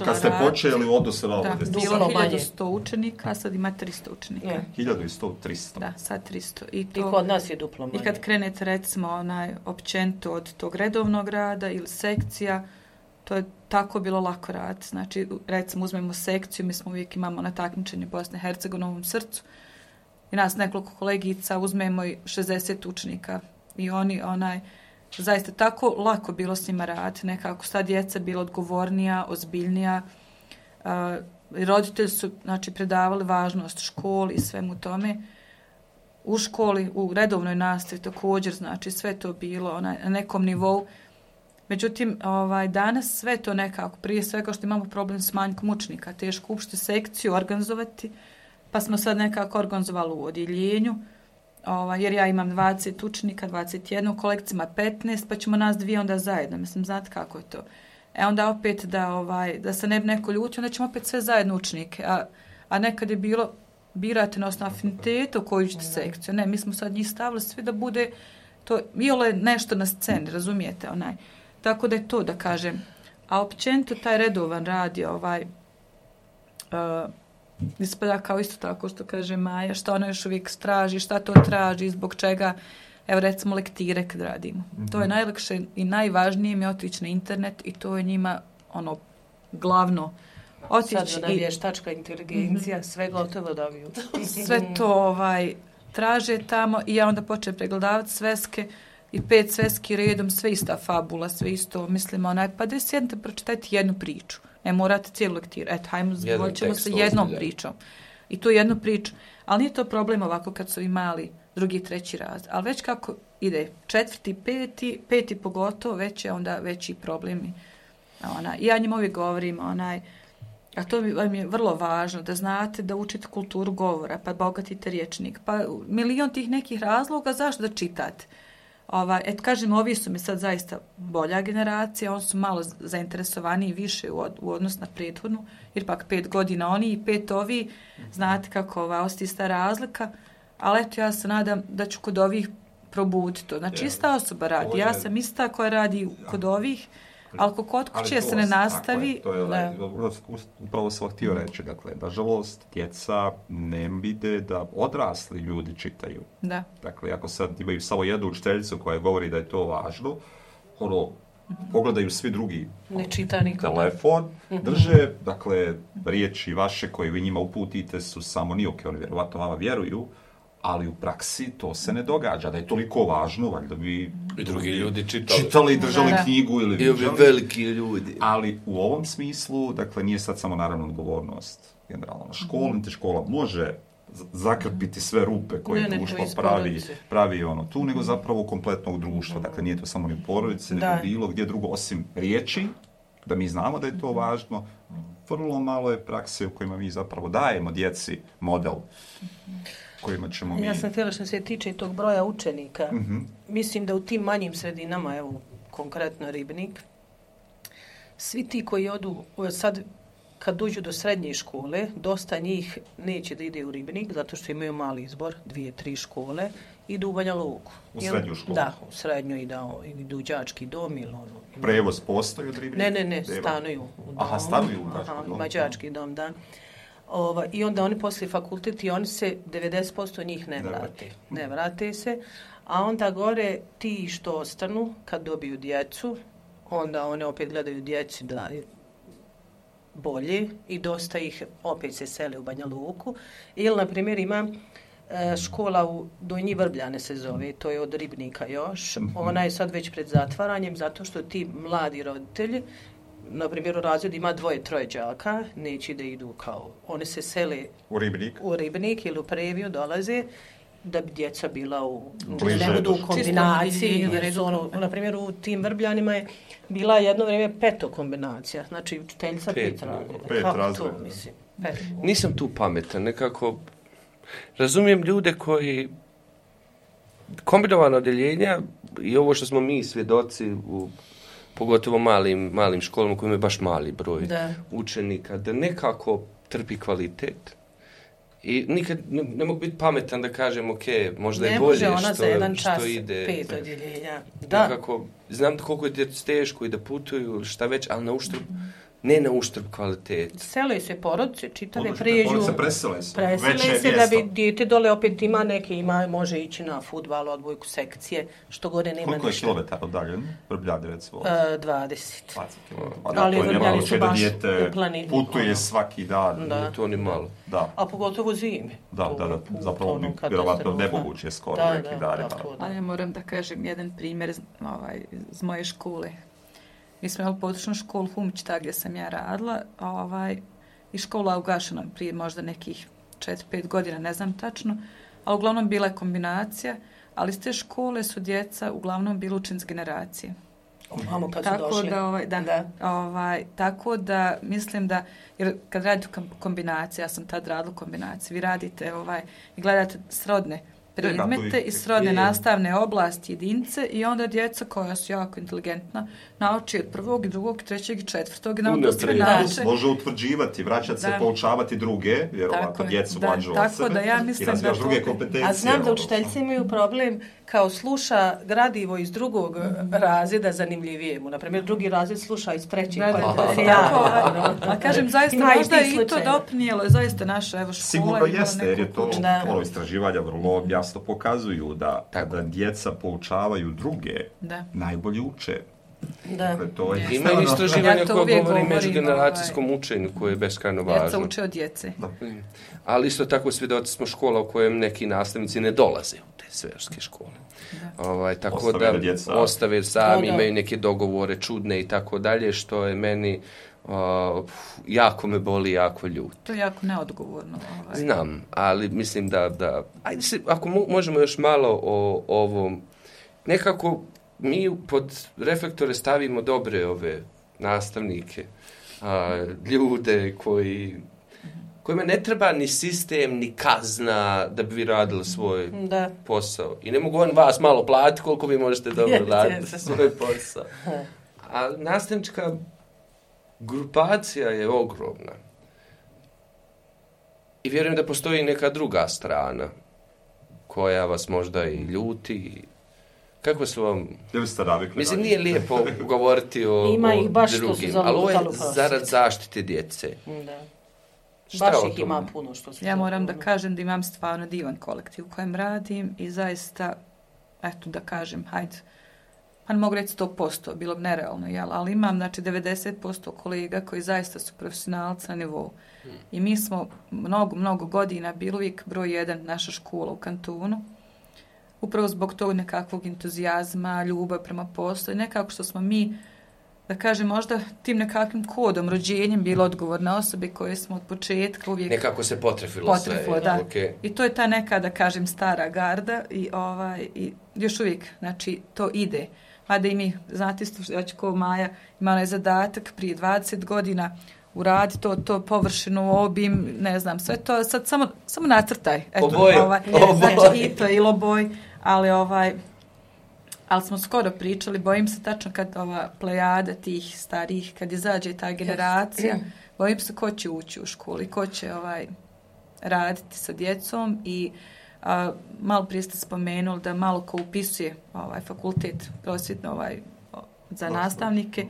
kad ste počeli u odnosu na ovo? Bilo 1100 učenika, sad ima 300 učenika. 1100, 300. Da, sad 300. I kod nas je duplo manje. I kad krenete recimo općenito od tog redovnog rada ili sekcija, to je tako bilo lako raditi. Znači, recimo uzmemo sekciju, mi smo uvijek imamo na takmičenju Bosne i Hercegovine u Novom Srcu i nas nekoliko kolegica uzmemo i 60 učenika i oni zaista tako lako bilo s njima raditi, nekako sta djeca bila odgovornija, ozbiljnija, roditelji su predavali važnost školi i svemu tome. U školi, u redovnoj nastavi također, sve to bilo na nekom nivou. Međutim, danas sve to nekako, prije svega što imamo problem s manjkom učenika, teško uopšte sekciju organizovati, pa smo sad nekako organizovali u odjeljenju, jer ja imam 20 učenika, 21, u kolekcijama 15, pa ćemo nas dvije onda zajedno. Mislim, znate kako je to. Onda opet da se ne bi neko ljutio, onda ćemo opet sve zajedno učenike. A nekad je bilo, birate na osnovu afiniteta u koju ćete sekciju. Ne, mi smo sad njih stavili svi da bude to, iole nešto na sceni, razumijete, Tako da je to, da kažem. A općenito taj redovan rad je ispada kao isto tako što kaže Maja, što ona još uvijek traži, šta to traži, zbog čega, evo recimo lektire kad radimo. To je najlakše i najvažnije mi je otići na internet i to je njima glavno. Sad da vještačka inteligencija, sve gotovo dobiju. Sve to traže tamo i ja onda počnem pregledavati sveske i 5 sveski redom, sve ista fabula, sve isto, mislim, pa da sjednete pročitajte jednu priču. Ne morate cijelu lektiru. Eto, hajmo, hoćemo sa jednom pričom. I tu jednu priču. Ali nije to problem ovako kad su imali 2. i 3. razred. Ali već kako ide 4., 5. pogotovo, već je onda veći problemi. Ja njima uvijek govorim, a to mi je vrlo važno, da znate da učite kulturu govora, pa bogatite rječnik, pa milion tih nekih razloga zašto da čitate. Kažem, ovi su mi sad zaista bolja generacija, oni su malo zainteresovaniji više u odnosu na prethodnu, jer pak 5 godina oni i 5 ovi, znate kako ostaje ista razlika, ali eto ja se nadam da ću kod ovih probuditi to. Znači ista osoba radi, ja sam ista koja radi kod ovih, ali kod kuće se ne nastavi. Upravo sam htio reći, dakle, nažalost, djeca ne vide da odrasli ljudi čitaju. Da. Dakle, ako sad imaju samo jednu učiteljicu koja govori da je to važno, pogledaju svi drugi telefon, drže, dakle, riječi vaše koje vi njima uputite su samo nijoke, oni vjerovatno vama vjeruju, ali u praksi to se ne događa, da je toliko važno, valjda bi i drugi ljudi čitali i držali knjigu ili viđali. Veliki ljudi. Ali u ovom smislu, dakle, nije sad samo naravno odgovornost generalno na školu, niti škola može zakrpiti sve rupe koje društvo pravi tu, nego zapravo kompletnog društva. Dakle, nije to samo ni porodice, nego bilo gdje drugo, osim riječi, da mi znamo da je to važno, vrlo malo je prakse u kojima mi zapravo dajemo djeci model kojima ćemo mi... Ja sam htjela što se tiče tog broja učenika. Mislim da u tim manjim sredinama, evo, konkretno Ribnik, svi ti koji odu, sad kad dođu do srednje škole, dosta njih neće da ide u Ribnik, zato što imaju mali izbor, 2-3 škole, idu u Banja Luku. U srednju školu? Da, u srednju idu u đački dom ili Prevoz postoji od Ribnika? Ne, stanuju u domu. Aha, stanuju u đački dom. Ima đački dom, da. I onda oni poslije fakultet i oni se 90% njih ne vrate se, a onda gore ti što ostanu kad dobiju djecu, onda one opet gledaju djeci da je bolje i dosta ih opet se sele u Banja Luku. Ili, na primjer, ima škola u Donji Vrbljane se zove, to je od Ribnika još, ona je sad već pred zatvaranjem zato što ti mladi roditelji, na primjer, u razredu ima 2-3 đaka, neće da idu kao, one se sele u Ribnik ili u Previju dolaze, da bi djeca bila u kombinaciji. Na primjer, u tim Vrbljanima je bila jedno vrijeme 5 kombinacija, znači učiteljica 5 razreda. Nisam tu pametan, nekako razumijem ljude koji kombinovano odjeljenja i ovo što smo mi svjedoci u pogotovo malim školama koji imaju baš mali broj učenika, da nekako trpi kvalitet I nikad ne mogu biti pametan da kažem, ok, možda je ne bolje može ona za jedan čas što ide. 5 odjeljenja. Da. Nekako, znam koliko je djecu teško i da putuju, šta već, ali ne na uštrb kvalitete. Sele se porodice, čitave Odlučite, pređu. porodice presele su. Presele Veće se mjesto. da bi dijete dole opet ima neke, može ići na fudbal, odbojku, sekcije, što gore nema Koliko je ništa. kilometara udaljen? Vrbljadi recimo. 20. 20 km. Ali to je Vrbljani nemoguće su da baš dijete u planini. putuje svaki dan. Da. Nije to ni malo. Da. A pogotovo zimi. Da, zapravo vjerovatno nemoguće skoro neki dani. Ali ja moram da kažem jedan primjer iz moje škole. Mi smo imali područnu školu Humić, ta gdje sam ja radila, i škola ugašena prije možda nekih 4-5 godina, ne znam tačno, ali uglavnom bila je kombinacija, ali iz te škole su djeca uglavnom bili učenici generacije. Mamo kad su Tako došli. Tako da mislim da, jer kad radite kombinacije, ja sam tad radila kombinacije, vi radite i gledate srodne predmete i srodne nastavne oblasti jedinice i onda djeca koja su jako inteligentna nauči od prvog, drugog, trećeg i četvrtog i nauči sve način. Može utvrđivati, vraćati se, poučavati druge, vjerovatno djecu mlađu od sebe da ja mislim i razvijaš druge kompetencije. A znam da učiteljice imaju problem kao sluša gradivo iz drugog razreda zanimljivije mu. Naprimjer, drugi razred sluša iz trećeg. A kažem, zaista možda je i to doprinijelo, zaista naša škola. Sigurno jeste, jer je to istraživanja vrlo jasno pokazuju da kada djeca poučavaju druge, najbolje uče. Da. Ima i istraživanja koja govori međugeneracijskom učenju koje je beskrajno važno. Djeca uče od djece. Ali isto tako svjedoci smo škola u kojem neki nastavnici ne dolaze u te svežske škole. Tako da ostave sami, imaju neke dogovore čudne i tako dalje, što je meni jako me boli, jako ljut. To je jako neodgovorno. Znam, ali mislim da ajde se, ako možemo još malo o ovom, nekako mi pod reflektore stavimo dobre ove nastavnike, ljude kojima ne treba ni sistem, ni kazna da bi vi radili svoj posao. I ne mogu on vas malo platiti koliko vi možete dobro raditi svoj posao. A nastavnička grupacija je ogromna. I vjerujem da postoji neka druga strana koja vas možda i ljuti. Kako su vam... Mislim, nije lijepo govoriti o drugim, ali ovo je zarad zaštite djece. Da. Baš ih ima puno što su... Ja moram da kažem da imam stvarno divan kolektiv u kojem radim i zaista, eto da kažem, hajde, pa ne mogu reći 100%, bilo bi nerealno, ali imam 90% kolega koji zaista su profesionalci na nivou. I mi smo mnogo godina bili uvijek broj 1 naša škola u kantonu. Upravo zbog tog nekakvog entuzijazma, ljubav prema poslu i nekako što smo mi, da kažem, možda tim nekakvim kodom, rođenjem bile odgovorne osobe koje smo od početka uvijek... Nekako se potrefilo sve. Da. Okay. I to je ta neka, da kažem, stara garda i još uvijek, to ide. Mada i mi, znate isto, ja ću ko Maja, imala je zadatak prije 20 godina uradi to površinu, obim, ne znam, sve to, sad samo nacrtaj. Oboj. Znači, i to je iloboj, ali smo skoro pričali, bojim se tačno kad ova plejada tih starih, kad izađe ta generacija, bojim se ko će ući u školu i ko će raditi sa djecom i malo prije ste spomenuli da malo ko upisuje fakultet prosvjetno za nastavnike,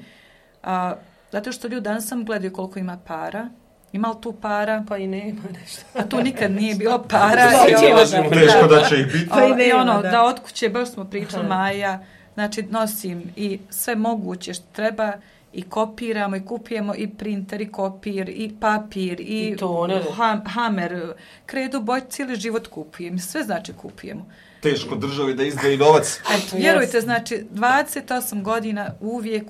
zato što ljudi danas sam gledaju koliko ima para. Ima li tu para? Pa i nema nešto. A tu nikad nije bilo para. Teško da će ih biti. Da od kuće, baš smo pričali Maja, znači nosim i sve moguće što treba i kopiramo i kupujemo i printer i kopir i papir i hamer, kredu, boj, cijeli život kupujem. Sve znači kupujemo. Teško državi da izdvoji novac. Vjerujte, znači 28 godina uvijek,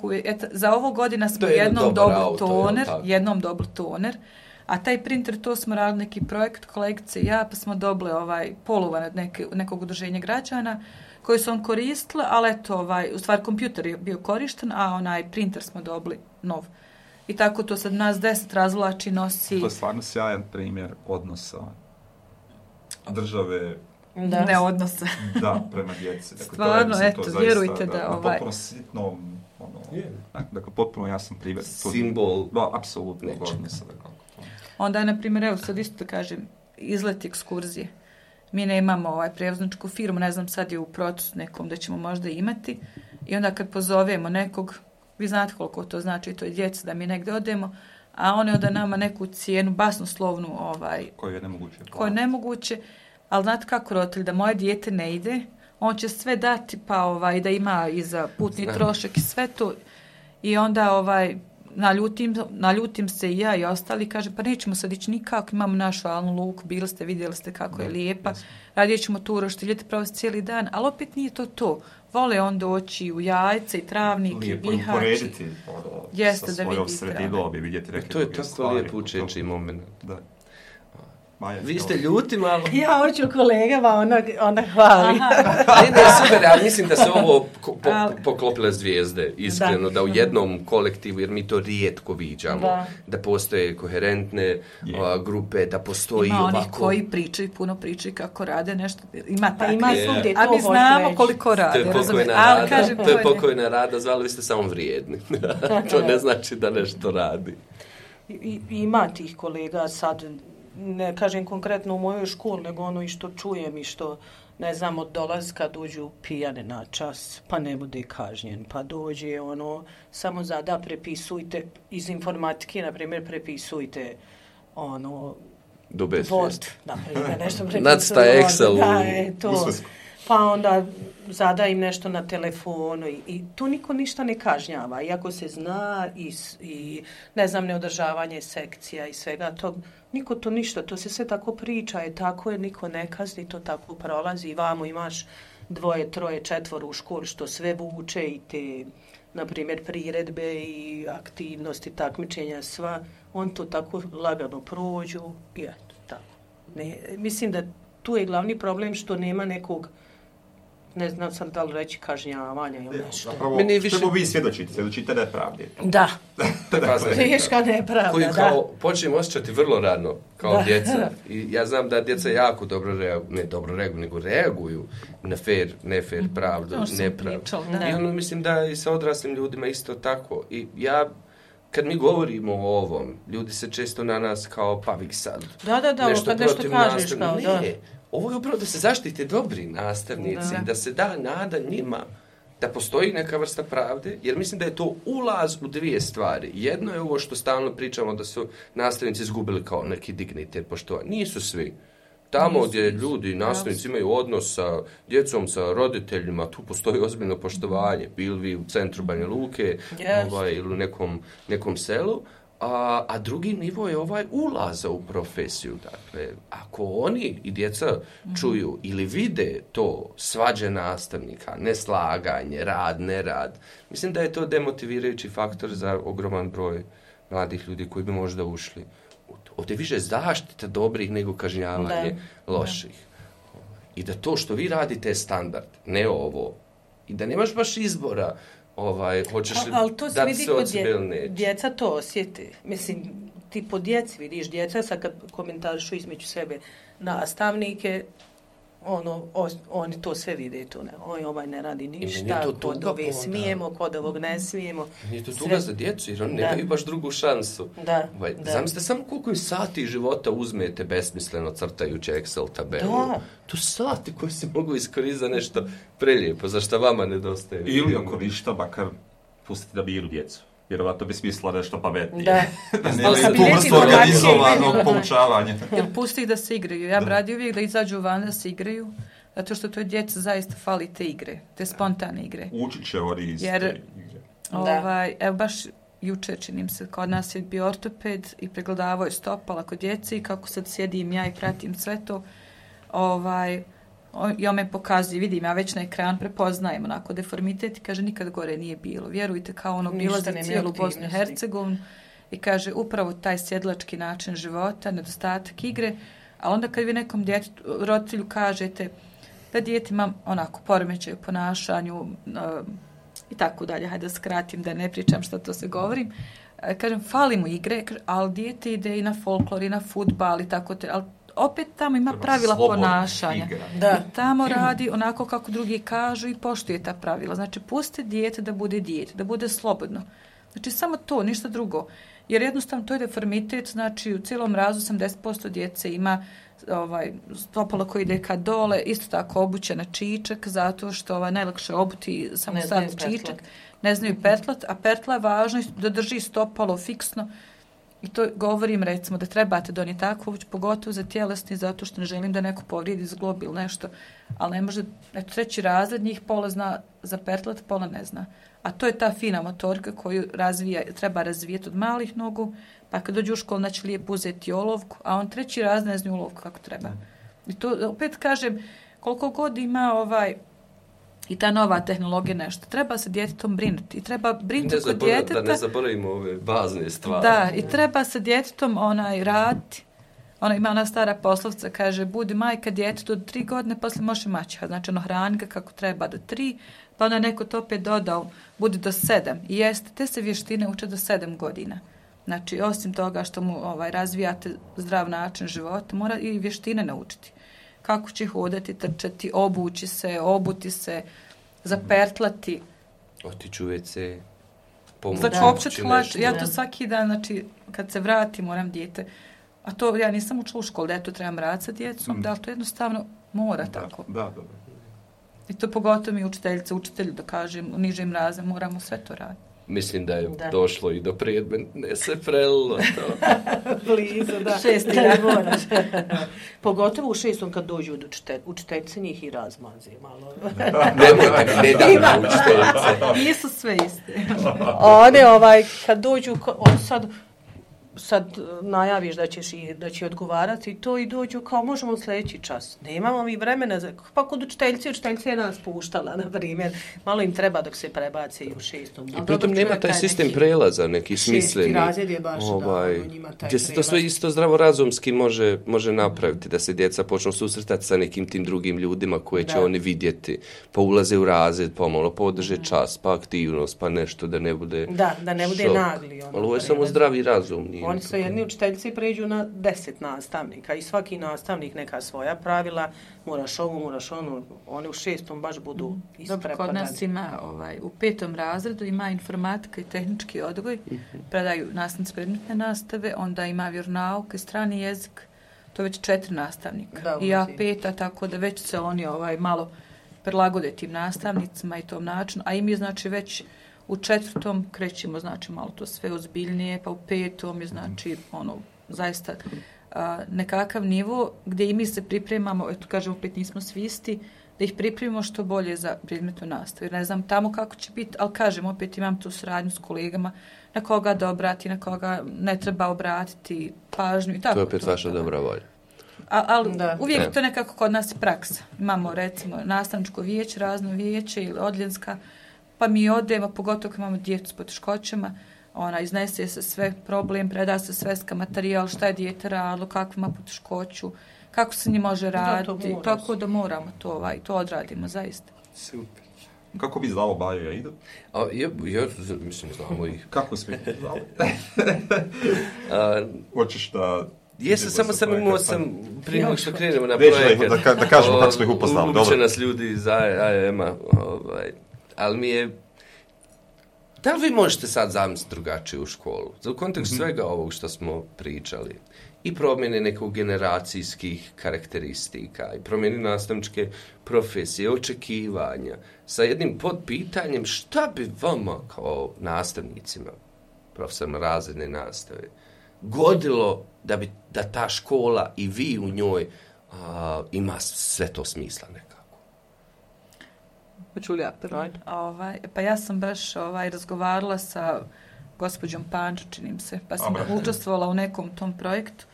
za ovo godina smo jednom dobili toner, a taj printer, to smo radili neki projekt, kolegice i ja, pa smo dobili poluvan od nekog udruženja građana koji su on koristili, ali eto, u stvari kompjuter je bio korišten, a onaj printer smo dobili nov. I tako to sad nas 10 razvlači, nosi... To je stvarno sjajan primjer odnosa države... Ne odnosa. Da, prema djeci. Dakle, stvarno, eto, vjerujte da... Potpuno sitno, dakle, potpuno jasan primjer. Simbol. Da, apsolutno odnosa. Onda, na primjer, evo sad isto kažem, izlet ekskurzije. Mi nemamo prevozničku firmu, ne znam, sad je u procesu nekom da ćemo možda imati. I onda kad pozovemo nekog, vi znate koliko to znači, to je djeca, da mi negdje odemo, a oni onda nama neku cijenu, basnoslovnu, koju je nemoguće. Koju je nemoguće, ali znate kako roditelj, da moje dijete ne ide, on će sve dati, pa da ima i za putni trošak i sve to. I onda naljutim se i ja i ostali, kaže, pa nećemo sad ići nikako, imamo našu Alnu luku, bili ste, vidjeli ste kako je lijepa, radije ćemo tu roštiljeti provesti cijeli dan, ali opet nije to. Vole on doći u Jajce i Travnik i Bihać. Lijepo uporediti sa svojom sredinom i vidjeti neke druge stvari. To je tako lijepo učeći moment. Da. Maja, vi ste ljuti malo. Ja hoću kolegama, ona hvali. Ne, super, ali mislim da se ovo poklopile zvijezde, iskreno, da u jednom kolektivu, jer mi to rijetko viđamo, da postoje koherentne grupe, da postoji ovako. Ima onih koji puno pričaju kako rade nešto, ima takve. Ima svugdje, a mi znamo koliko rade. To je pokojna rada, zvali vi ste samo vrijedni. To ne znači da nešto radi. Ima tih kolega sad, ne kažem konkretno u mojoj školi, nego i što čujem i što, ne znam, od dolaska dođu pijane na čas, pa ne bude kažnjen, pa dođe samo zada prepisujte iz informatike, na primjer, prepisujte Word, na primjer, nešto prepisujte. Nacrta Excel. Da, to. Pa onda zada im nešto na telefonu i tu niko ništa ne kažnjava, iako se zna i ne znam, neodržavanje sekcija i svega tog. Niko to ništa, to se sve tako priča, tako je, niko ne kazni, to tako prolazi i vamo imaš 2, 3, 4 u školi što sve vuče i te, na primjer, priredbe i aktivnosti, takmičenja, sva, on to tako lagano prođu i eto, tako. Mislim da tu je glavni problem što nema nekog, ne znam sam da li reći kažnjavanja ili nešto. Zapravo, što vi svjedočite nepravde. Da, teška nepravda, koji kao počnemo osjećati vrlo rano, kao djeca. I ja znam da djeca jako dobro reaguju na fair, nefair, pravdu, nepravdu. I mislim da i sa odraslim ljudima isto tako. I ja, kad mi govorimo o ovom, ljudi se često na nas kao pavik sad. Nešto kažeš kao, ne. Ovo je upravo da se zaštite dobri nastavnici, da se da nada njima, da postoji neka vrsta pravde, jer mislim da je to ulaz u 2 stvari. Jedno je ovo što stalno pričamo da su nastavnici izgubili kao neki dignitet, poštovanje. Nisu svi. Tamo gdje ljudi, nastavnici imaju odnos sa djecom, sa roditeljima, tu postoji ozbiljno poštovanje. Bili vi u centru Banja Luke ili u nekom selu. A drugi nivo je ulaza u profesiju. Dakle, ako oni i djeca čuju ili vide to svađe nastavnika, neslaganje, rad, nerad, mislim da je to demotivirajući faktor za ogroman broj mladih ljudi koji bi možda ušli. Ovdje više zaštita dobrih nego kažnjavanje loših. I da to što vi radite je standard, ne ovo. I da nemaš baš izbora hoćeš li dati se od sebe ili neće. Djeca to osjete. Mislim, ti po djeci vidiš djeca, sad kad komentarišu između sebe nastavnike, oni to sve vide. Ovaj ne radi ništa, kod ove smijemo, kod ovog ne smijemo. Nije to tuga za djecu, jer oni nemaju baš drugu šansu. Zamislite samo koliko im sati života uzmete besmisleno crtajući Excel tabelu. To sati koji se mogu iskoristiti za nešto prelijepo, za što vama nedostaje. Ili ako ništa, makar pustite da biru djecu. Vjerovatno bi smislila nešto pametnije. Da nemaju tu vrstu organizovanog poučavanja. Jer pusti ih da se igraju. Ja bi radio uvijek da izađu van da se igraju, zato što to djeca zaista fali te igre, te spontane igre. Učit će oni iz te igre. Evo baš jučer, činim se, kod nas je bio ortoped i pregledavao je stopala kod djece i kako sad sjedim ja i pratim sve to, i on me pokazuje, vidim, ja već na ekran prepoznajem onako deformitet i kaže nikad gore nije bilo. Vjerujte, kao bilo za cijelu Bosnu i Hercegovinu i kaže upravo taj sjedlački način života, nedostatak igre, a onda kad vi nekom roditelju kažete da dijete ima onako poremećaj u ponašanju i tako dalje, hajde da skratim, da ne pričam što to se govorim, kažem, fali mu igre, ali dijete ide i na folklor i na fudbal i tako te, ali opet tamo ima pravila ponašanja. I tamo radi onako kako drugi kažu i poštuje ta pravila. Znači, pusti dijete da bude slobodno. Znači samo to, ništa drugo. Jer jednostavno to je deformitet, znači u cijelom razu 80% djece ima stopalo koji ide ka dole, isto tako obuće na čičak, zato što najlakše obuti samo staviti čičak. Ne znaju petlat, a petla je važno da drži stopalo fiksno. I to govorim recimo da trebate donijeti takvu obuć, pogotovo za tjelesni, zato što ne želim da neko povrijedi zglob ili nešto. Ali ne može, eto 3. razred njih pola zna za petlat, pola ne zna. A to je ta fina motorika koju treba razvijeti od malih nogu, pa kad dođu u školu znači lijepo uzeti olovku, a on 3. razred ne zna olovku kako treba. I to opet kažem, koliko god ima i ta nova tehnologija nešto, treba se djetetom brinuti. I treba brinuti kod djeteta. Da ne zaboravimo ove bazne stvari. Da, i treba se djetetom raditi. Ima ona stara poslovca, kaže, budi majka djetetu do 3 godine, poslije može maćeha. Znači, hrani ga kako treba do 3, pa onda neko to opet dodao, budi do 7. I jeste, te se vještine uče do 7 godina. Znači, osim toga što mu razvijate zdrav način života, mora i vještine naučiti. Kako će hodati, trčati, obući se, obuti se, zapertlati. Otići u WC, pomoći. Znači, općet hlač. Ja to svaki dan, znači, kad se vratim, moram dijete. A to ja nisam učila u školu, da ja to trebam raditi sa djecom, da li to jednostavno mora tako. Da. I to pogotovo mi učitelji da kažem, u nižim razredima moramo sve to raditi. Mislim da je došlo i do predmetne se prelilo to. Blizu, da. 6. moraš. Pogotovo u 6. kad dođu od učiteljice njih i razmazi malo. Nemojte, ne dam učiteljice. Nisu sve iste. One kad dođu, sad najaviš da će odgovarati to i dođu kao možemo sljedeći čas. Nemamo mi vremena, pa kod učiteljice je nas puštala, na primjer. Malo im treba dok se prebace i u 6. I pritom nema taj sistem prelaza, neki smisleni. 6. razred je baš njima taj gdje se to sve isto zdravorazumski može napraviti, da se djeca počnu susretati sa nekim tim drugim ljudima koje će oni vidjeti, pa ulaze u razred, pomalo podrže čas, pa aktivnost, pa nešto da ne bude da ne bude nagli. Ali ovo je samo zdravi razum. Oni su jedni učiteljici pređu na 10 nastavnika i svaki nastavnik neka svoja pravila, moraš ovo, moraš ono, oni u 6. baš budu isprepadani. Kod nas ima u 5. razredu ima informatika i tehnički odgoj, predaju nastavnici predmetne nastave, onda ima vjeronauk i strani jezik, to već 4 nastavnika. I ja 5, tako da već se oni malo prilagode tim nastavnicima i tom načinu, a i mi znači već u 4. krećemo, znači, malo to sve ozbiljnije, pa u 5. je, znači, zaista nekakav nivo gdje i mi se pripremamo, eto, kažem, opet nismo svi isti, da ih pripremimo što bolje za predmetnu nastavu. Jer ne znam tamo kako će biti, ali kažem, opet imam tu suradnju s kolegama, na koga da obrati, na koga ne treba obratiti pažnju i tako. To je opet vaša dobra volja. Ali uvijek to nekako kod nas je praksa. Imamo, recimo, nastavničko vijeće, razno vijeće ili odljenska, pa mi odemo, pogotovo kad imamo djecu s poteškoćama, iznese se sve problem, preda se sveska materijal, šta je dijete radilo, kakvu ima poteškoću, kako se njih može raditi, tako da moramo to odradimo, zaista. Super. Kako bi znao Bajo Aida? Ja mislim, znamo ih. Kako svi znao? Hoćeš da... Jesam, samo imao prije nego što krenemo na projekat. Da kažemo kako smo ih upoznali. Uče nas ljudi iz AEM-a, ali mi je... Da li vi možete sad zamisliti drugačije u školu? U kontekstu svega ovog što smo pričali. I promjene nekog generacijskih karakteristika, i promjene nastavničke profesije, očekivanja, sa jednim podpitanjem šta bi vama kao nastavnicima, profesorima razredne nastave, godilo da ta škola i vi u njoj ima sve to smisla nekako? Pa ja sam baš razgovarala sa gospođom Pančo, činim se, pa sam učestvovala u nekom tom projektu.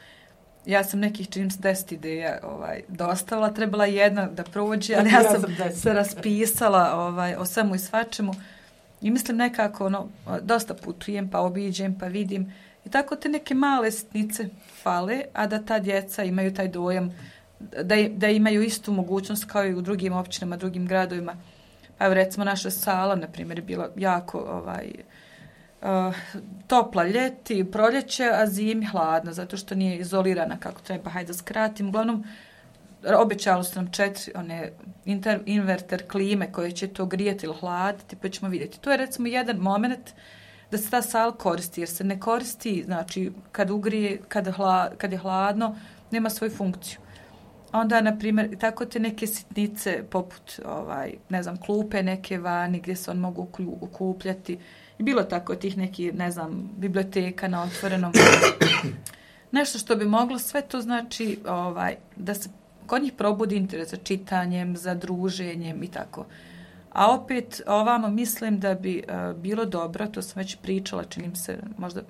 Ja sam nekih, činim se, 10 ideja dostavila, trebala jedna da prođe, ali ja sam se raspisala o svemu i svačemu i mislim nekako, dosta putujem, pa obiđem, pa vidim i tako te neke male sitnice fale, a da ta djeca imaju taj dojam da imaju istu mogućnost kao i u drugim općinama, drugim gradovima. Pa evo recimo naša sala, na primjer, je bila jako topla ljeti, proljeće, a zimi hladna, zato što nije izolirana kako treba, hajde da skratim. Uglavnom, obećali su nam 4 inverter klime koje će to grijeti ili hladiti, pa ćemo vidjeti. To je recimo jedan moment da se ta sala koristi, jer se ne koristi, znači, kad ugrije, kad je hladno, nema svoju funkciju. Onda, na primjer, tako te neke sitnice, poput, ne znam, klupe neke vani, gdje se on mogu okupljati. I bilo tako tih nekih, ne znam, biblioteka na otvorenom. Nešto što bi moglo, sve to znači da se kod njih probudi interes za čitanjem, za druženjem i tako. A opet, ovamo mislim da bi bilo dobro, to sam već pričala, činim se možda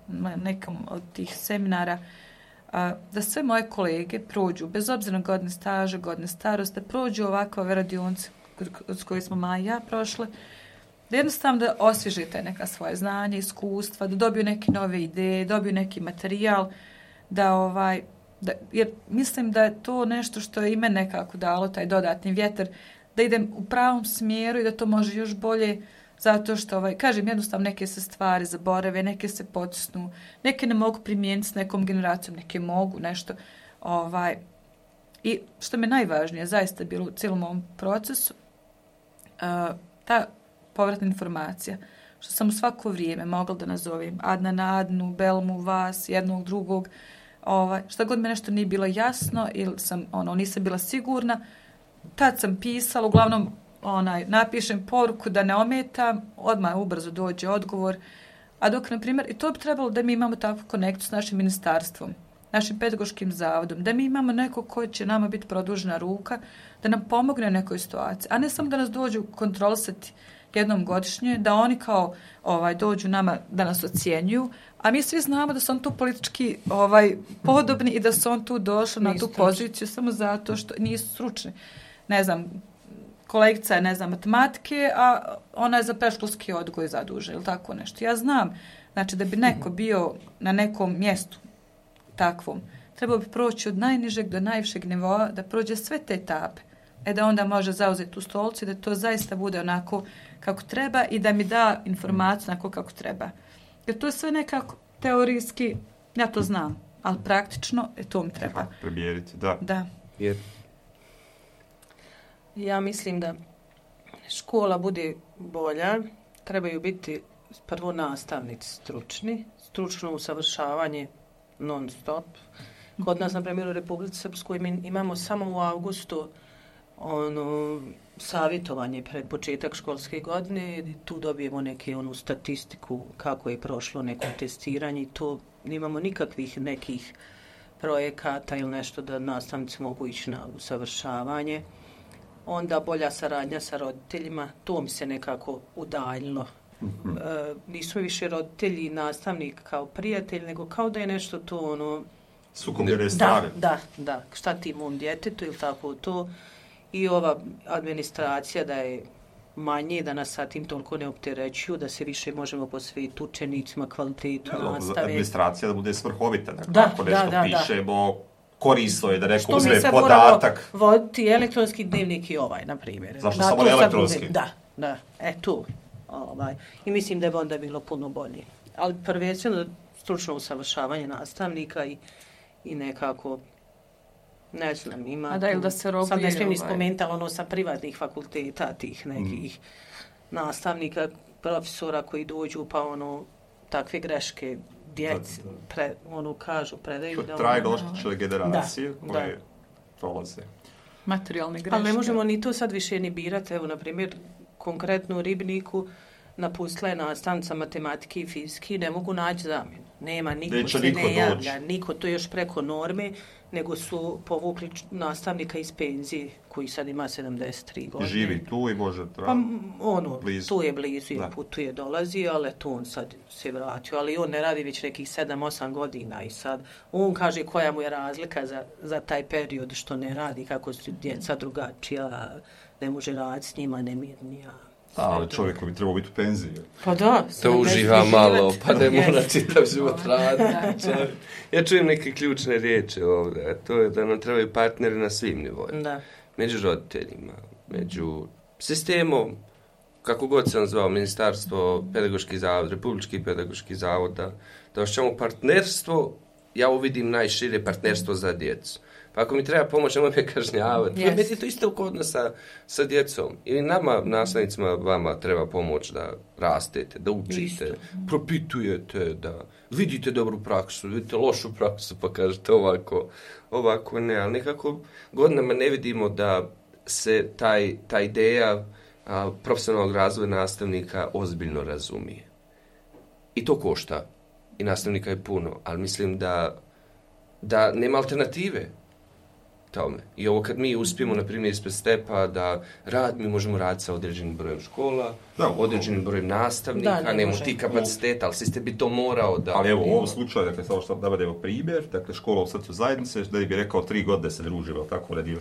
na nekom od tih seminara, da sve moje kolege prođu, bez obzira na godine staža, godine starosti, da prođu ovakve radionice s koje smo Maja i ja prošle, da jednostavno da osvježite neka svoje znanje, iskustva, da dobiju neke nove ideje, dobiju neki materijal, jer mislim da je to nešto što je i mene nekako dalo, taj dodatni vjetar, da idem u pravom smjeru i da to može još bolje, zato što, kažem, jednostavno neke se stvari zaborave, neke se potisnu, neke ne mogu primijeniti s nekom generacijom, neke mogu nešto. I što mi najvažnije zaista bilo u cijelom ovom procesu, ta povratna informacija, što sam u svako vrijeme mogla da nazovem Adnu, Belmu, vas, jednog, drugog, šta god mi nešto nije bilo jasno ili sam, nisam bila sigurna, tad sam pisala, uglavnom napišem poruku da ne ometam, odmah ubrzo dođe odgovor, a dok, na primjer, i to bi trebalo da mi imamo takvu konekciju s našim ministarstvom, našim pedagoškim zavodom, da mi imamo neko ko će nama biti produžena ruka, da nam pomogne u nekoj situaciji, a ne samo da nas dođu kontrolisati jednom godišnje, da oni kao dođu nama da nas ocjenjuju, a mi svi znamo da su on tu politički podobni i da su on tu došli na tu poziciju samo zato što nisu stručni. Ne znam, kolegica je, matematike, a ona je za predškolski odgoj zadužena ili tako nešto. Ja znam, znači da bi neko bio na nekom mjestu takvom, trebao bi proći od najnižeg do najvišeg nivoa, da prođe sve te etape, da onda može zauzeti tu stolicu i da to zaista bude onako kako treba i da mi da informaciju onako kako treba. Jer to je sve nekako teorijski, ja to znam, ali praktično to mi treba. Primijeniti, da. Jer ja mislim da škola bude bolja, trebaju biti prvo nastavnici stručno usavršavanje non stop. Kod nas, na primjer, u Republici Srpskoj imamo samo u avgustu savjetovanje pred početak školske godine, tu dobijemo neke statistiku kako je prošlo neko testiranje i to nemamo nikakvih nekih projekata ili nešto da nastavnici mogu ići na usavršavanje. Onda bolja saradnja sa roditeljima, to mi se nekako udaljilo. Nisu više roditelji i nastavnik kao prijatelj, nego kao da je nešto to sukobljene stvari. Da, šta ti mom djetetu ili tako to. I ova administracija da je manje, da nas sa tim toliko ne opterećuju, da se više možemo posvetiti učenicima, kvalitetu nastave. Administracija da bude svrhovita, ako nešto pišemo, korisno je da neko uzme podatak. Što mi sad voditi elektronski dnevnik i na primjer. Zašto samo elektronski? Da, tu. I mislim da je onda bilo puno bolje. Ali prvenstveno stručno usavršavanje nastavnika i nekako, ne znam, ima da se robuje, sad ne smijem ni spomenuti, ali sa privatnih fakulteta tih nekih nastavnika, profesora koji dođu pa takve greške djeci kažu, predaju. To trajno oštećele generacije koje prolaze. Materijalne greške. Ali ne možemo ni to sad više ni birati. Evo, na primjer, konkretno u Ribniku napustila je nastavnica matematike i fizike, ne mogu naći zamjenu. Nema, niko se ne javlja, niko to još preko norme, nego su povukli nastavnika iz penzije, koji sad ima 73 godine. Živi tu i može blizu. Tu je blizu i putuje, dolazi, ali tu on sad se vratio. Ali on ne radi već nekih 7-8 godina i sad on kaže koja mu je razlika za taj period što ne radi, kako su djeca drugačija, ne može raditi s njima, nemirnija. Ali čovjek bi trebao biti u penziji. Pa da. To uživa malo, pa ne mora čitav život raditi. Ja čujem neke ključne riječi ovdje, a to je da nam trebaju partneri na svim nivoima. Među roditeljima, među sistemom, kako god se on zvao, Ministarstvo, Pedagoški zavod, Republički pedagoški zavod, da osjećamo partnerstvo ja uvidim najšire partnerstvo za djecu. Pa ako mi treba pomoć, nemoj me kažnjavati. Meni je to isto kod nas sa djecom. I nama, nastavnicima, vama treba pomoć da rastete, da učite, propitujete, da vidite dobru praksu, vidite lošu praksu, pa kažete ovako ne. Ali nekako godinama ne vidimo da se ta ideja profesionalnog razvoja nastavnika ozbiljno razumije. I to košta. I nastavnika je puno. Ali mislim da nema alternative tome. I ovo kad mi uspijemo, na primjer, ispred Stepa da mi možemo raditi sa određenim brojem škola, određenim brojem nastavnika, nemamo ti kapaciteta, ali sistem bi to morao da... Ali evo, u ovom slučaju, dakle, samo što da bude primjer, dakle, škola u srcu zajednice, da bi rekao 3 godine se družimo, tako radio.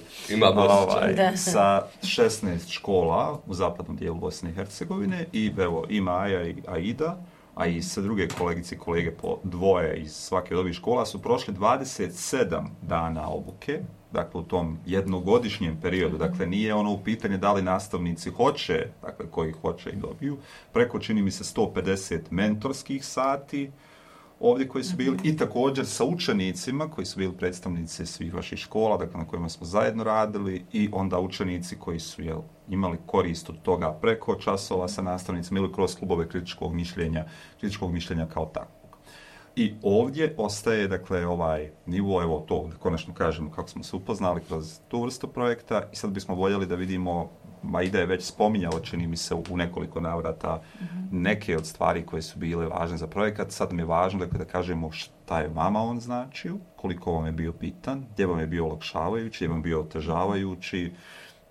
Sa 16 škola u zapadnom dijelu Bosne i Hercegovine i evo, i Maja i Aida, a i sa druge kolegice i kolege po 2 iz svake od ovih škola su prošli 27 dana obuke, dakle u tom jednogodišnjem periodu, dakle nije ono u pitanje da li nastavnici hoće, dakle koji hoće i dobiju, preko čini mi se 150 mentorskih sati ovdje koji su bili i također sa učenicima koji su bili predstavnici svih vaših škola, dakle na kojima smo zajedno radili i onda učenici koji su imali korist od toga preko časova sa nastavnicima ili kroz klubove kritičkog mišljenja kao takvog. I ovdje ostaje, dakle, ovaj nivo, evo to, konačno kažemo kako smo se upoznali kroz tu vrstu projekta i sad bismo voljeli da vidimo, Aida je već spominjala, čini mi se u nekoliko navrata, neke od stvari koje su bile važne za projekat. Sad mi je važno, dakle, da kažemo šta je vama on značio, koliko vam je bio bitan, gdje vam je bio olakšavajući, gdje vam je bio otežavajući,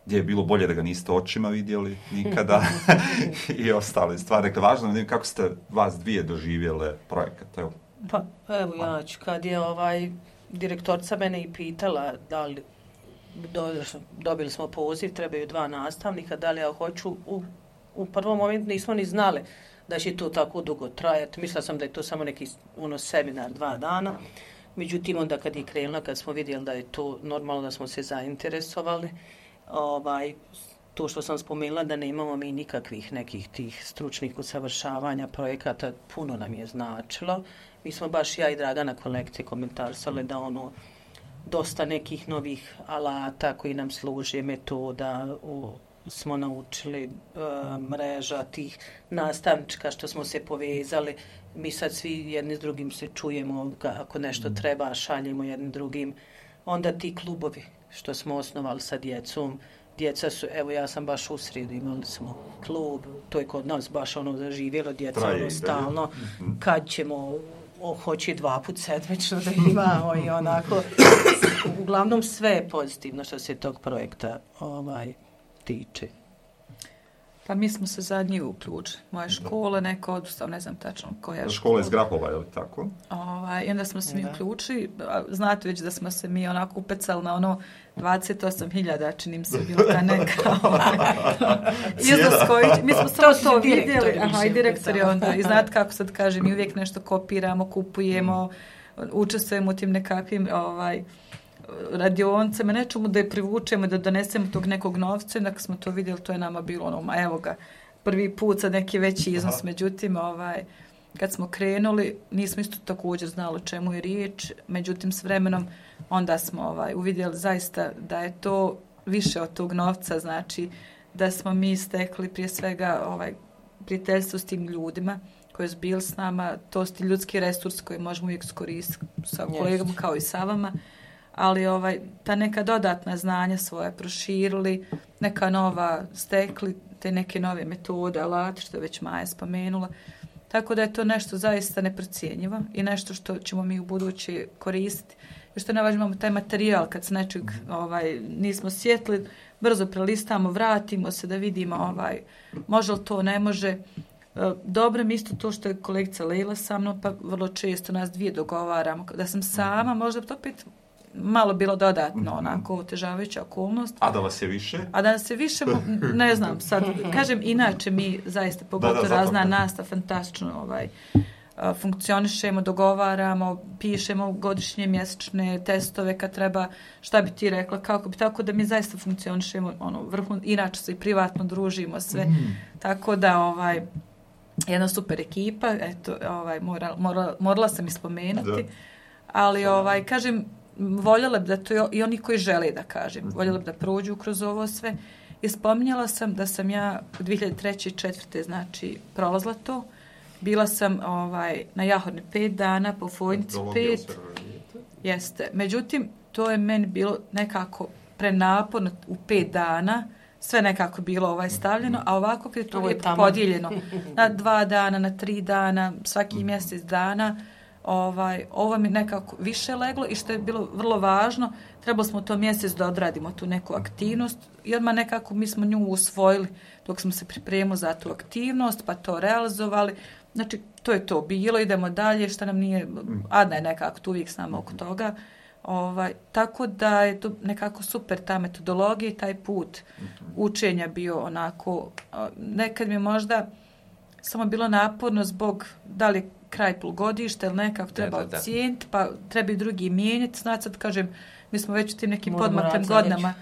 gdje je bilo bolje da ga niste očima vidjeli nikada i ostale stvari. Dakle, važno je kako ste vas dvije doživjele projekat. Evo. Pa evo ja ću, kad je direktorica mene i pitala da li dobili smo poziv, trebaju 2 nastavnika, da li ja hoću, u prvom momentu nismo ni znali da će to tako dugo trajati. Mislila sam da je to samo neki seminar 2 dana. Međutim, onda kad je krenula, kad smo vidjeli da je to normalno, da smo se zainteresovali, to što sam spomenula da nemamo mi nikakvih nekih tih stručnih usavršavanja projekata, puno nam je značilo. Mi smo baš ja i Dragana kolekcije komentarsali da dosta nekih novih alata koji nam služe, metoda, smo naučili, mreža tih nastavnička što smo se povezali. Mi sad svi jedni s drugim se čujemo, ako nešto treba, šaljemo jednim drugim. Onda ti klubovi što smo osnovali sa djecom, djeca su, evo ja sam baš u srijedu, imali smo klub, to je kod nas baš zaživjelo, djeca stalno, kad ćemo, hoće 2 puta sedmično da ima i onako, uglavnom sve je pozitivno što se tog projekta tiče. Pa mi smo se zadnji uključili. Moje škole, neko odustao, ne znam tačno koja škola iz Grapova, je li tako? I onda smo se mi uključili. Znate već da smo se mi onako upecali na 28.000, čini mi se bilo ta neka iznos koji... Mi smo samo to vidjeli. I direktor je onda. I znate kako sad kažem, mi uvijek nešto kopiramo, kupujemo, učestvujemo u tim nekakvim radionicama, nečemu da je privučemo, da donesemo tog nekog novca. Dakle smo to vidjeli, to je nama bilo evo ga, prvi put za neki veći iznos. Međutim, kad smo krenuli, nismo isto također znali o čemu je riječ. Međutim, s vremenom onda smo uvidjeli zaista da je to više od tog novca, znači da smo mi stekli prije svega prijateljstvo s tim ljudima koji su bili s nama, to su ti ljudski resurs koji možemo uvijek iskoristiti sa kolegama kao i sa vama. Ali ta neka dodatna znanja svoja proširili, neka nova stekli, te neke nove metode, alati, što je već Maja spomenula. Tako da je to nešto zaista neprocjenjivo i nešto što ćemo mi u buduće koristiti. I što najvažnije, imamo taj materijal, kad se nečeg nismo sjetili, brzo prelistamo, vratimo se da vidimo može li to, ne može. Dobro mi isto to što je kolegica Lejla sa mnom, pa vrlo često nas dvije dogovaramo. Da sam sama, možda to opet malo bilo dodatno, onako otežavajuća okolnost. A da vas je više? A da nas je više, ne znam, sad, kažem, inače mi zaista, pogotovo razna nastava, fantastično funkcionišemo, dogovaramo, pišemo godišnje, mjesečne testove kad treba, šta bi ti rekla, kako bi, tako da mi zaista funkcionišemo, inače se i privatno družimo sve, tako da, jedna super ekipa, eto, morala sam ispomenuti. Ali, kažem, voljela bi da to i oni koji žele da kažem, voljela bi da prođu kroz ovo sve. I spominjala sam da sam ja u 2003. i 2004. znači prolazila to. Bila sam na Jahorni 5 dana, po Fojnici 5. Jeste. Međutim, to je meni bilo nekako prenaporno u 5 dana. Sve nekako bilo stavljeno, a ovako kad je to lijepo podijeljeno na 2 dana, na 3 dana, svaki mjesec dana, ovo mi nekako više leglo i što je bilo vrlo važno, trebalo smo to mjesec da odradimo tu neku aktivnost i odmah nekako mi smo nju usvojili dok smo se pripremili za tu aktivnost, pa to realizovali. Znači, to je to bilo, idemo dalje, što nam nije, Adna je nekako tu uvijek s nama oko toga. Tako da je to nekako super ta metodologija i taj put učenja bio onako, nekad mi možda samo bilo naporno zbog da li kraj polugodišta ili nekako treba ocijeniti, pa treba i drugi mijenjati. Znači, sad kažem, mi smo već u tim nekim podmaklim godinama,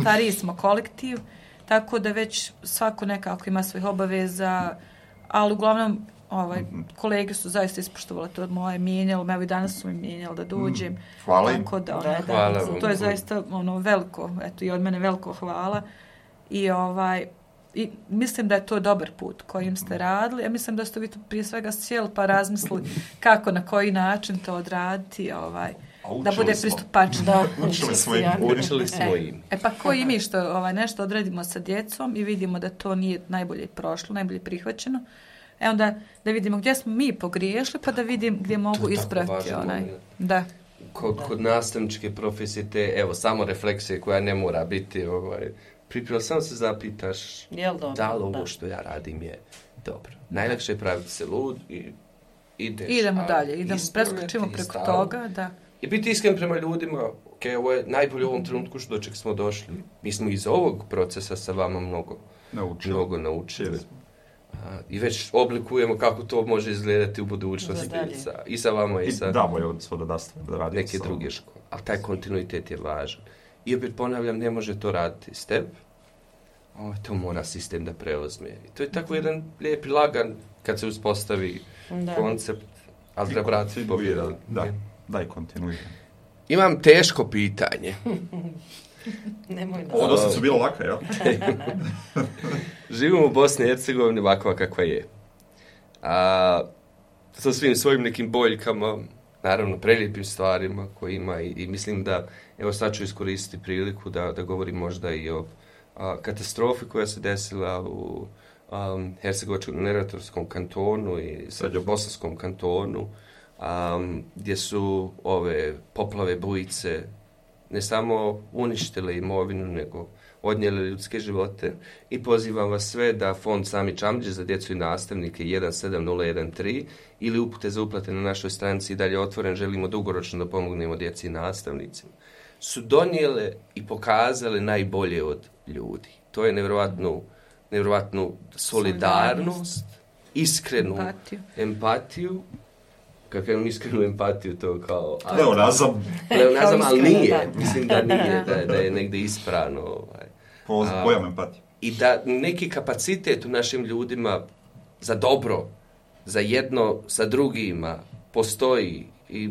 stariji smo kolektiv, tako da već svako nekako ima svojih obaveza, ali uglavnom kolege su zaista ispoštovali to od moje, mijenjali, evo i danas su mi mijenjali da dođem. Hvala im. Tako da, to je zaista veliko, eto i od mene veliko hvala. I mislim da je to dobar put kojim ste radili. Ja mislim da ste vi tu prije svega sjeli pa razmislili kako, na koji način to odraditi, da bude pristupačno. Učili smo im. Pa koji mi što nešto odradimo sa djecom i vidimo da to nije najbolje prošlo, najbolje prihvaćeno. Onda da vidimo gdje smo mi pogriješili, pa da vidim gdje mogu ispraviti. Da. Kod nastavničke profesije te, evo, samo refleksije koja ne mora biti, pripremila, samo se zapitaš da li ovo što ja radim je dobro. Najlakše je praviti se lud i idemo dalje, preskočimo preko toga, da. I biti iskren prema ljudima, ovo je najbolje u ovom trenutku do čeg smo došli. Mi smo iz ovog procesa sa vama mnogo naučili. I već oblikujemo kako to može izgledati u budućnosti i sa vama i sa neke druge škole. Ali taj kontinuitet je važan. I opet ponavljam, ne može to raditi step, to mora sistem da preuzme. I to je tako jedan lijepi lagan kad se uspostavi koncept, ali da brat svi pobjedali. Da, i kontinuitet. Imam teško pitanje. Ovo dosta su bilo laka, jel? Živimo u Bosni i Hercegovini ovakva kakva je. Sa svim svojim nekim boljkama, naravno prelijepim stvarima koje ima i mislim da, evo sad ću iskoristiti priliku da govorim možda i o katastrofi koja se desila u Hercegovačko-Neretvanskom kantonu i Srednjobosanskom kantonu, gdje su ove poplave, bujice ne samo uništile imovinu, nego odnijele ljudske živote. I pozivam vas sve da fond Sami Čamđe za djecu i nastavnike 17013 ili upute za uplate na našoj stranici i dalje otvoren, želimo dugoročno da pomognemo djeci i nastavnicima, su donijele i pokazale najbolje od ljudi. To je nevjerojatnu solidarnost, iskrenu empatiju. Kako imam iskrenu empatiju, to kao... Pleonazam, ali nije. Mislim da nije, da je negdje ispravno. Pojam empatiju. I da neki kapacitet u našim ljudima za dobro, za jedno sa drugima postoji. I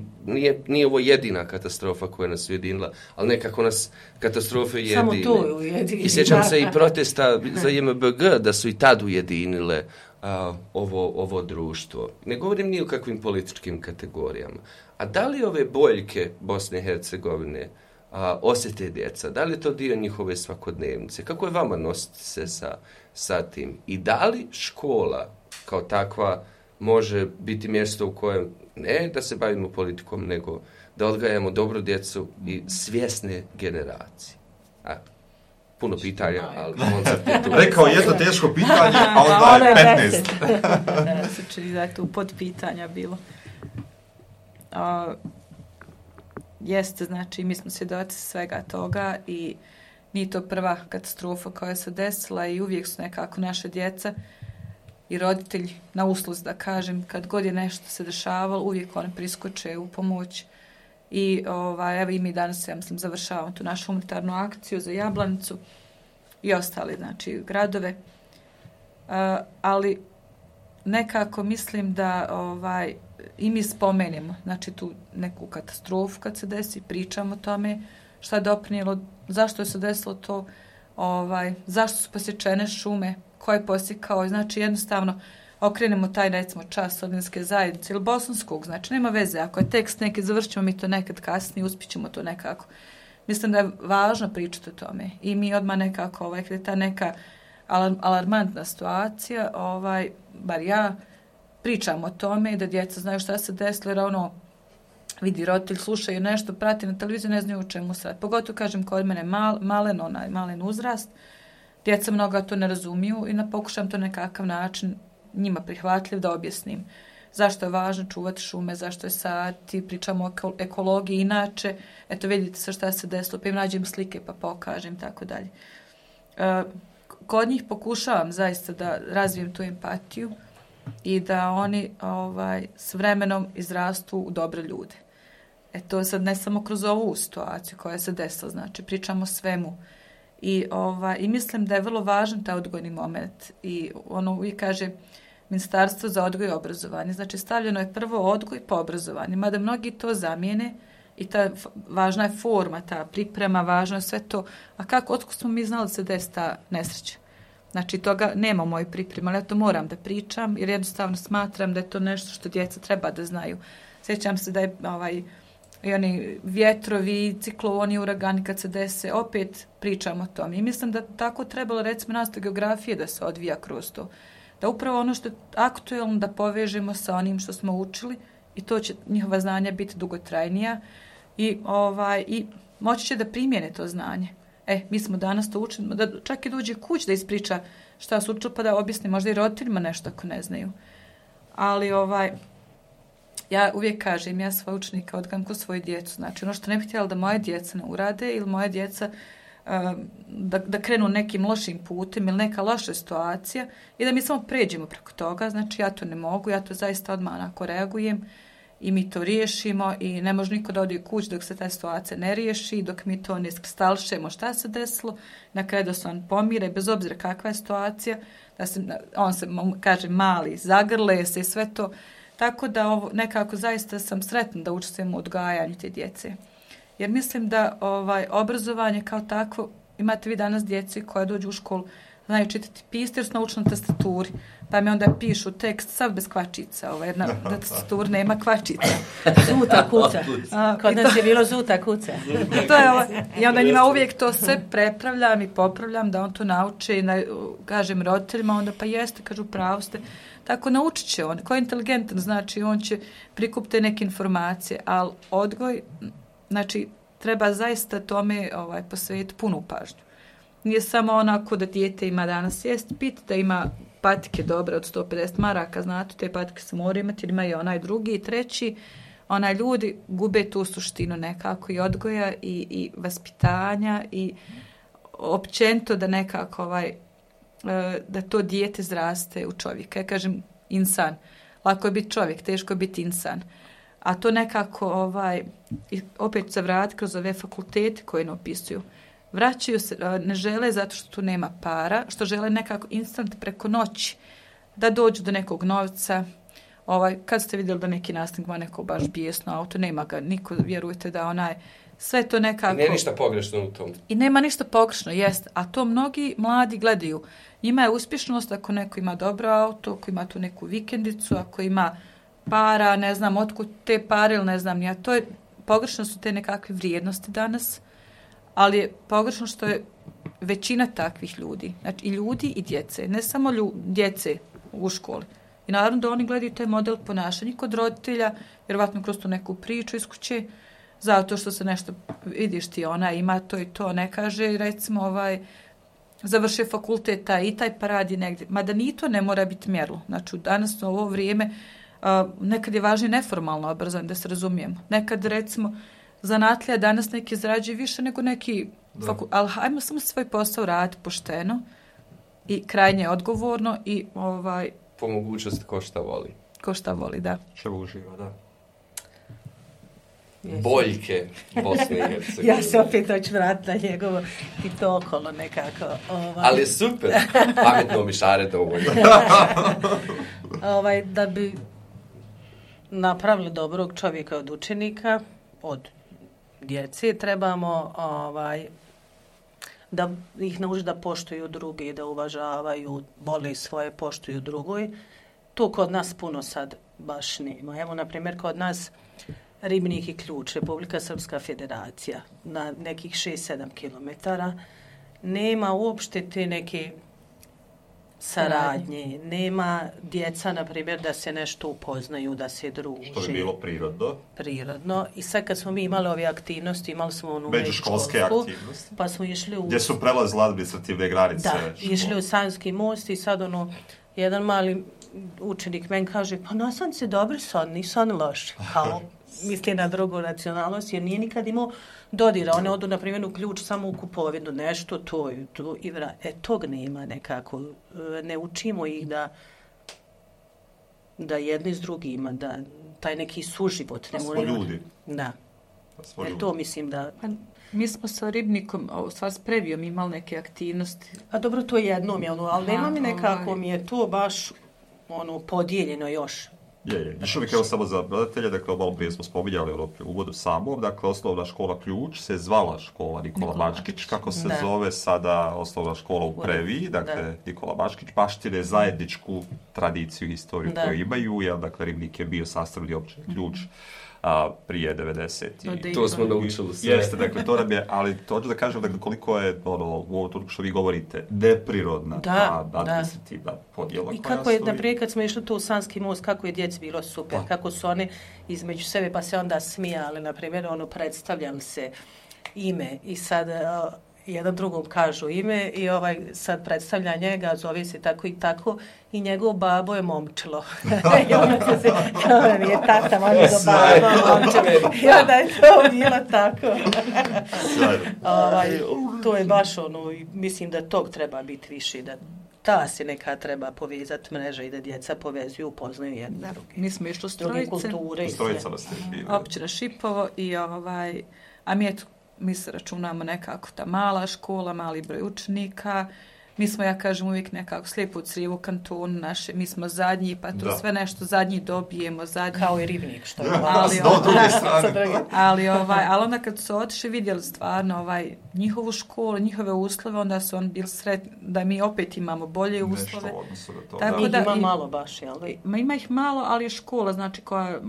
nije ovo jedina katastrofa koja nas ujedinila, ali nekako nas katastrofe ujedine. Samo to ujedinila. I sjećam se i protesta za JMBG da su i tad ujedinile ovo društvo. Ne govorim ni o kakvim političkim kategorijama. A da li ove boljke Bosne i Hercegovine osjete djeca? Da li je to dio njihove svakodnevnice? Kako je vama nositi se sa tim? I da li škola kao takva može biti mjesto u kojem ne da se bavimo politikom, nego da odgajamo dobru djecu i svjesne generacije? Puno pitanja, ali koncept je tu. Rekao jedno teško pitanje, a onda je 15. Se čini da je tu podpitanja bilo. Jeste, znači, mi smo svjedoci svega toga i nije to prva katastrofa koja se desila i uvijek su nekako naše djeca i roditelji na usluzi, da kažem, kad god je nešto se dešavalo, uvijek oni priskoče u pomoć. I evo i mi danas, ja mislim, završavamo tu našu humanitarnu akciju za Jablanicu i ostali, znači, gradove. Ali nekako mislim da i mi spomenemo, znači tu neku katastrofu kad se desi, pričamo o tome šta je doprinijelo, zašto je se desilo to, zašto su posjećene šume, ko je posjekao, znači jednostavno okrenemo taj, recimo, čas Sodinske zajednice ili Bosanskog, znači nema veze, ako je tekst neki, završimo mi to nekad kasnije, uspićemo to nekako. Mislim da je važno pričati o tome i mi odmah nekako, kada je ta neka alarmantna situacija, bar ja pričam o tome da djeca znaju šta se desilo, jer vidi roditelj, slušaju nešto, prati na televiziju, ne znaju o čemu sad. Pogotovo, kažem, kod mene malen uzrast, djeca mnoga to ne razumiju i pokušam to nekakav način njima prihvatljiv da objasnim. Zašto je važno čuvati šume, zašto je sati, pričamo o ekologiji inače, eto vidite se šta se desilo, pa im nađem slike pa pokažem, tako dalje. Kod njih pokušavam zaista da razvijem tu empatiju i da oni s vremenom izrastu u dobre ljude. To sad ne samo kroz ovu situaciju koja se desila, znači pričamo o svemu. I mislim da je vrlo važan taj odgojni moment. I uvijek kaže Ministarstvo za odgoj i obrazovanje. Znači stavljeno je prvo odgoj pa obrazovanje. Mada mnogi to zamijene i važna je forma, ta priprema, važno je sve to. A otko smo mi znali se desi ta nesreća? Znači toga nema u mojoj pripremi, ali ja to moram da pričam jer jednostavno smatram da je to nešto što djeca treba da znaju. Sjećam se da je i oni vjetrovi, cikloni, uragani kad se dese, opet pričamo o tom. I mislim da tako trebalo, recimo, nastav geografije da se odvija kroz to. Da upravo ono što je aktuelno da povežemo sa onim što smo učili i to će njihova znanja biti dugotrajnija i moći će da primjene to znanje. Mi smo danas to učili, da čak i dođe kuć da ispriča šta su učili pa da objasni možda i roditeljima nešto ako ne znaju. Ali ja uvijek kažem, ja svoje učenika odgajam ko svoju djecu. Znači ono što ne bih htjela da moje djeca ne urade ili moje djeca da krenu nekim lošim putem ili neka loša situacija i da mi samo pređemo preko toga. Znači ja to ne mogu, ja to zaista odmah onako reagujem i mi to riješimo i ne može niko da ode u kuć dok se ta situacija ne riješi, dok mi to ne stalšemo šta se desilo, na kraju da se on pomire, bez obzira kakva je situacija, on se, kaže, mali, zagrle se i sve to. Tako da nekako zaista sam sretna da učestvujem u odgajanju te djece. Jer mislim da obrazovanje kao takvo, imate vi danas djeci koja dođu u školu, znaju čitati pisati jer su naučili na tastaturi. Pa mi onda pišu tekst sav bez kvačica. Na tastaturi nema kvačica. Zuta kuca. Kod nas je bilo zuta kuca. I onda njima uvijek to sve prepravljam i popravljam da on to nauče i kažem roditeljima, onda pa jeste, kažu pravo ste. Tako naučit će on. Ko je inteligentan, znači on će prikupiti neke informacije, ali odgoj, znači treba zaista tome posvetiti punu pažnju. Nije samo onako da dijete ima danas jest, pit da ima patike dobre od 150 maraka, znate, te patike se moraju imati, jer ima i onaj drugi i treći. Ljudi gube tu suštinu nekako i odgoja i vaspitanja i općenito da nekako da to dijete zraste u čovjeka. Ja kažem insan. Lako je biti čovjek, teško je biti insan. A to nekako opet se vrati kroz ove fakultete koje ne opisuju. Vraćaju se, ne žele zato što tu nema para, što žele nekako instant preko noći da dođu do nekog novca. Kad ste vidjeli da neki nastavnik ima neko baš bijesno auto, nema ga, niko, vjerujte da sve to nekako... Nema ništa pogrešno u tom. I nema ništa pogrešno, jest. A to mnogi mladi gledaju. Njima je uspješnost ako neko ima dobro auto, ako ima tu neku vikendicu, ako ima para, ne znam, otkud te pare ili ne znam. To je, pogrešno su te nekakve vrijednosti danas, ali je pogrešno što je većina takvih ljudi. Znači i ljudi i djece, ne samo djece u školi. I naravno da oni gledaju taj model ponašanja kod roditelja, vjerovatno kroz tu neku priču iz kuće, zato što se nešto, vidiš ti, ona ima to i to, ne kaže, recimo, završio fakultet taj pa radi negdje. Mada ni to ne mora biti mjerilo. Znači, danas u ovo vrijeme nekad je važnije neformalno obrazovanje, da se razumijemo. Nekad, recimo, zanatlija danas neki zarađuju više nego neki ali hajmo samo svoj posao raditi pošteno i krajnje odgovorno i po mogućnosti ko šta voli. Ko šta voli, da. Što uživa, da. Boljke Bosne i Hercegovine. Ja se opet hoću vratiti na njegovo i to okolo nekako. Ali super, pametno mi šare dovoljno. Da bi napravili dobrog čovjeka od učenika, od djece, trebamo da ih nauči da poštuju drugi, da uvažavaju, vole svoje, poštuju drugoj. To kod nas puno sad baš nema. Evo, na primjer, kod nas Ribnik i Ključ, Republika Srpska Federacija, na nekih 6-7 kilometara, nema uopšte te neke saradnje, nema djeca, na primjer, da se nešto upoznaju, da se druži. Što bi bilo prirodno. Prirodno. I sad kad smo mi imali ove aktivnosti, imali smo onu međuškolske aktivnosti. Pa smo išli gdje su prelazile administrativne granice. Da, išli u Sanski most i sad jedan mali učenik meni kaže, pa nastavnici dobri su, nisu oni loši. Kao misli na drugu nacionalnost, jer nije nikad imao dodira. One odu, na primjer, u Ključ samo u kupovinu, nešto to i tog nema nekako. Ne učimo ih da jedni s drugima, da taj neki suživot. Da smo ljudi. Da. To mislim da... Mi smo sa Ribnikom, stvar s Previjom imali neke aktivnosti. A dobro, to jednom je ali nema mi nekako, mi je to baš podijeljeno još. Je. Još uvijek evo samo za gledatelje, dakle, malo prije smo spominjali u uvodu samom, dakle, osnovna škola Ključ se zvala škola Nikola Bačkić, kako se zove sada osnovna škola u Previji, dakle, Nikola Bačkić, baštine zajedničku tradiciju i historiju koju imaju, jer, dakle, Ribnik je bio sastavni općina Ključ prije 90. To smo naučili sve. Jeste, dakle, to nam je, ali to ću da kažem, dakle, koliko je, ovo što vi govorite, neprirodna administrativna podjela. I kako je, naprijed, kad smo išli tu u Sanski most, kako je djeci bilo super, kako su oni između sebe, pa se onda smijali, na primjer, predstavljali se ime i sad jedan drugom kažu ime i sad predstavlja njega, zove se tako i tako i njegov babo je Momčilo. I onda se je tata, on je do babo Momčilo. I onda je to bilo tako. To je baš mislim da tog treba biti više, da ta se neka treba povezati mreža i da djeca povezuju, upoznaju jedne druge. Mi smo išli u Strojice, općina Šipovo i a mi se računamo nekako ta mala škola, mali broj učenika. Mi smo, ja kažem, uvijek nekako slijepo u crijevu kantonu naše. Mi smo zadnji, pa to sve nešto zadnji dobijemo. Zadnji. Kao i Ribnik, što je. Ali onda kad su otišli, vidjeli stvarno njihovu školu, njihove uslove, onda su oni bili sretni da mi opet imamo bolje uslove. Tako da ima malo baš, jel? Ima ih malo, ali je škola, znači koja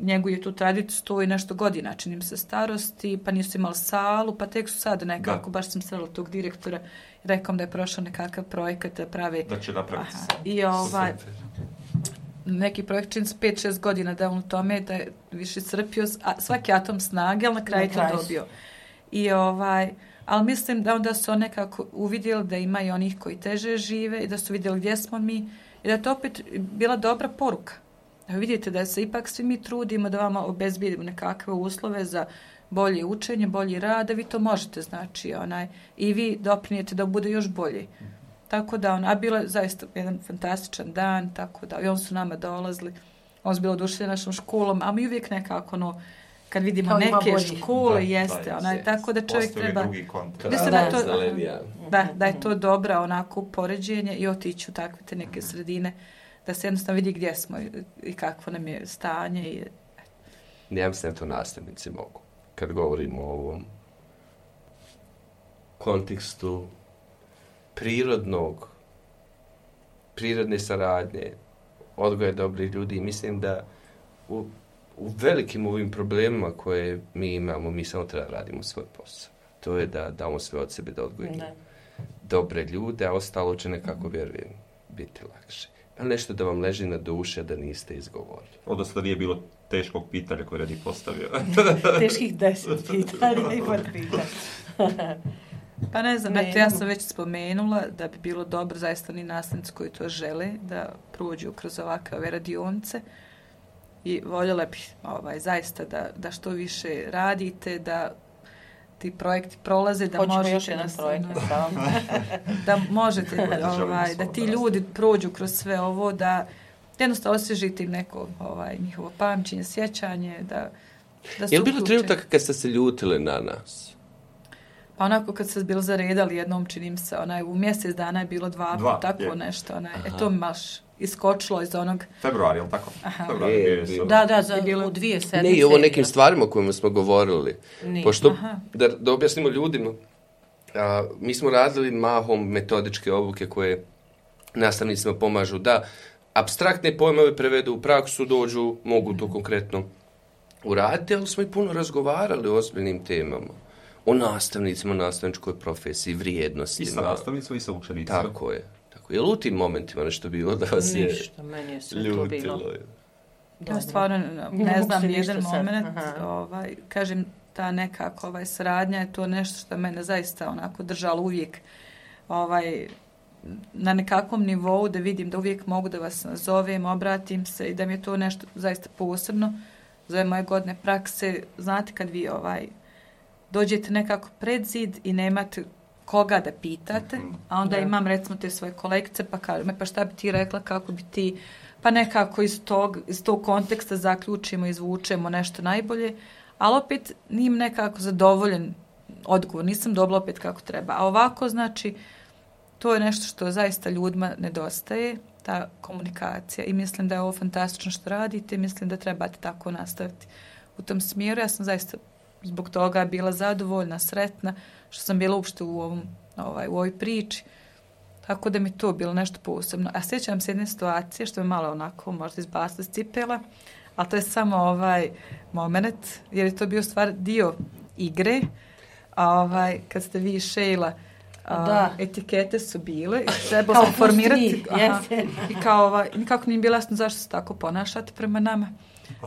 njeguje tu tradiciju 100 i nešto godina, čini mi se starosti, pa nisu imali salu, pa tek su sad nekako, baš sam srela tog direktora i rekao da je prošao nekakav projekat da pravi. Da će napraviti I neki projekt čini se 5-6 godina da on u tome, da je više crpio svaki atom snage, ali na kraju to dobio. Ali mislim da onda su nekako uvidjeli da ima i onih koji teže žive i da su vidjeli gdje smo mi i da je to opet bila dobra poruka. Vidite da se ipak svi mi trudimo da vama obezbijedimo nekakve uslove za bolje učenje, bolji rad, da vi to možete, znači, i vi doprinijete da bude još bolje. Tako da, a bilo je zaista jedan fantastičan dan, tako da, i on su nama dolazili, on su bilo oduševljeni našom školom, a mi uvijek nekako, kad vidimo neke škole, jeste, tako da čovjek treba... Mislim da je to dobra onako poređenje i otići u takve te neke sredine, da se jednostavno vidi gdje smo i kakvo nam je stanje. Ja mislim da to nastavnici mogu. Kad govorimo o ovom kontekstu prirodne saradnje, odgoja dobrih ljudi, mislim da u velikim ovim problemima koje mi imamo, mi samo treba radimo svoj posao. To je da damo sve od sebe da odgojimo dobre ljude, a ostalo će nekako, vjerujem, biti lakše. Ali nešto da vam leži na duši, da niste izgovorili. Odnosno nije bilo teškog pitanja koje Redi postavio. Teških 10 pitanja i pitanja. Pa ne znam, ja sam već spomenula da bi bilo dobro zaista ni nastavnici koji to žele da prođu kroz ovakve radionice i voljela bih zaista da što više radite, da ti projekti prolaze, da hoćemo možete... još jedan projekt. Da možete, da ti ljudi prođu kroz sve ovo, da jednostavno osvježite im neko njihovo pamćenje, sjećanje, da je li bilo trenutak kad ste se ljutile na nas? Pa onako kad ste bili zaredali jednom, činim se, u mjesec dana je bilo 2 puta, tako nešto, to mi baš iskočilo iz onog... Februar, je li tako? Februar, u 2 sedmice. Ne, i ovo nekim stvarima o kojima smo govorili. Pošto, da objasnimo ljudima, mi smo radili mahom metodičke obuke koje nastavnicima pomažu da apstraktne pojmove prevedu u praksu, dođu, mogu to konkretno uraditi, ali smo i puno razgovarali o ozbiljnim temama. O nastavnicima, nastavničkoj profesiji, vrijednostima. I sa nastavnicima i sa učenicima. Tako je. Je li u tim momentima nešto bilo da vas je ništa, meni je sve to bilo. Ja stvarno ne znam jedan moment, kažem, ta nekako saradnja je to nešto što mene zaista onako držalo uvijek na nekakvom nivou, da vidim da uvijek mogu da vas nazovem, obratim se i da mi je to nešto zaista posebno za ove moje godine prakse. Znate kad vi dođete nekako pred zid i nemate koga da pitate, a onda imam recimo te svoje kolegice pa kažu me, pa šta bi ti rekla, kako bi ti, pa nekako iz tog konteksta zaključimo, izvučemo nešto najbolje, ali opet nim nekako zadovoljen odgovor, nisam dobila opet kako treba. A ovako, znači, to je nešto što zaista ljudima nedostaje, ta komunikacija, i mislim da je ovo fantastično što radite, mislim da trebate tako nastaviti u tom smjeru. Ja sam zaista zbog toga bila zadovoljna, sretna, što sam bila uopšte u ovoj priči. Tako da mi to bilo nešto posebno. A sjećam se jedne situacije što me malo onako možda izbacila iz cipela, ali to je samo moment, jer je to bio stvar dio igre. Kad ste vi Sheila, etikete su bile i trebalo sam formirati. I kao nikako nije bilo jasno zašto se tako ponašate prema nama.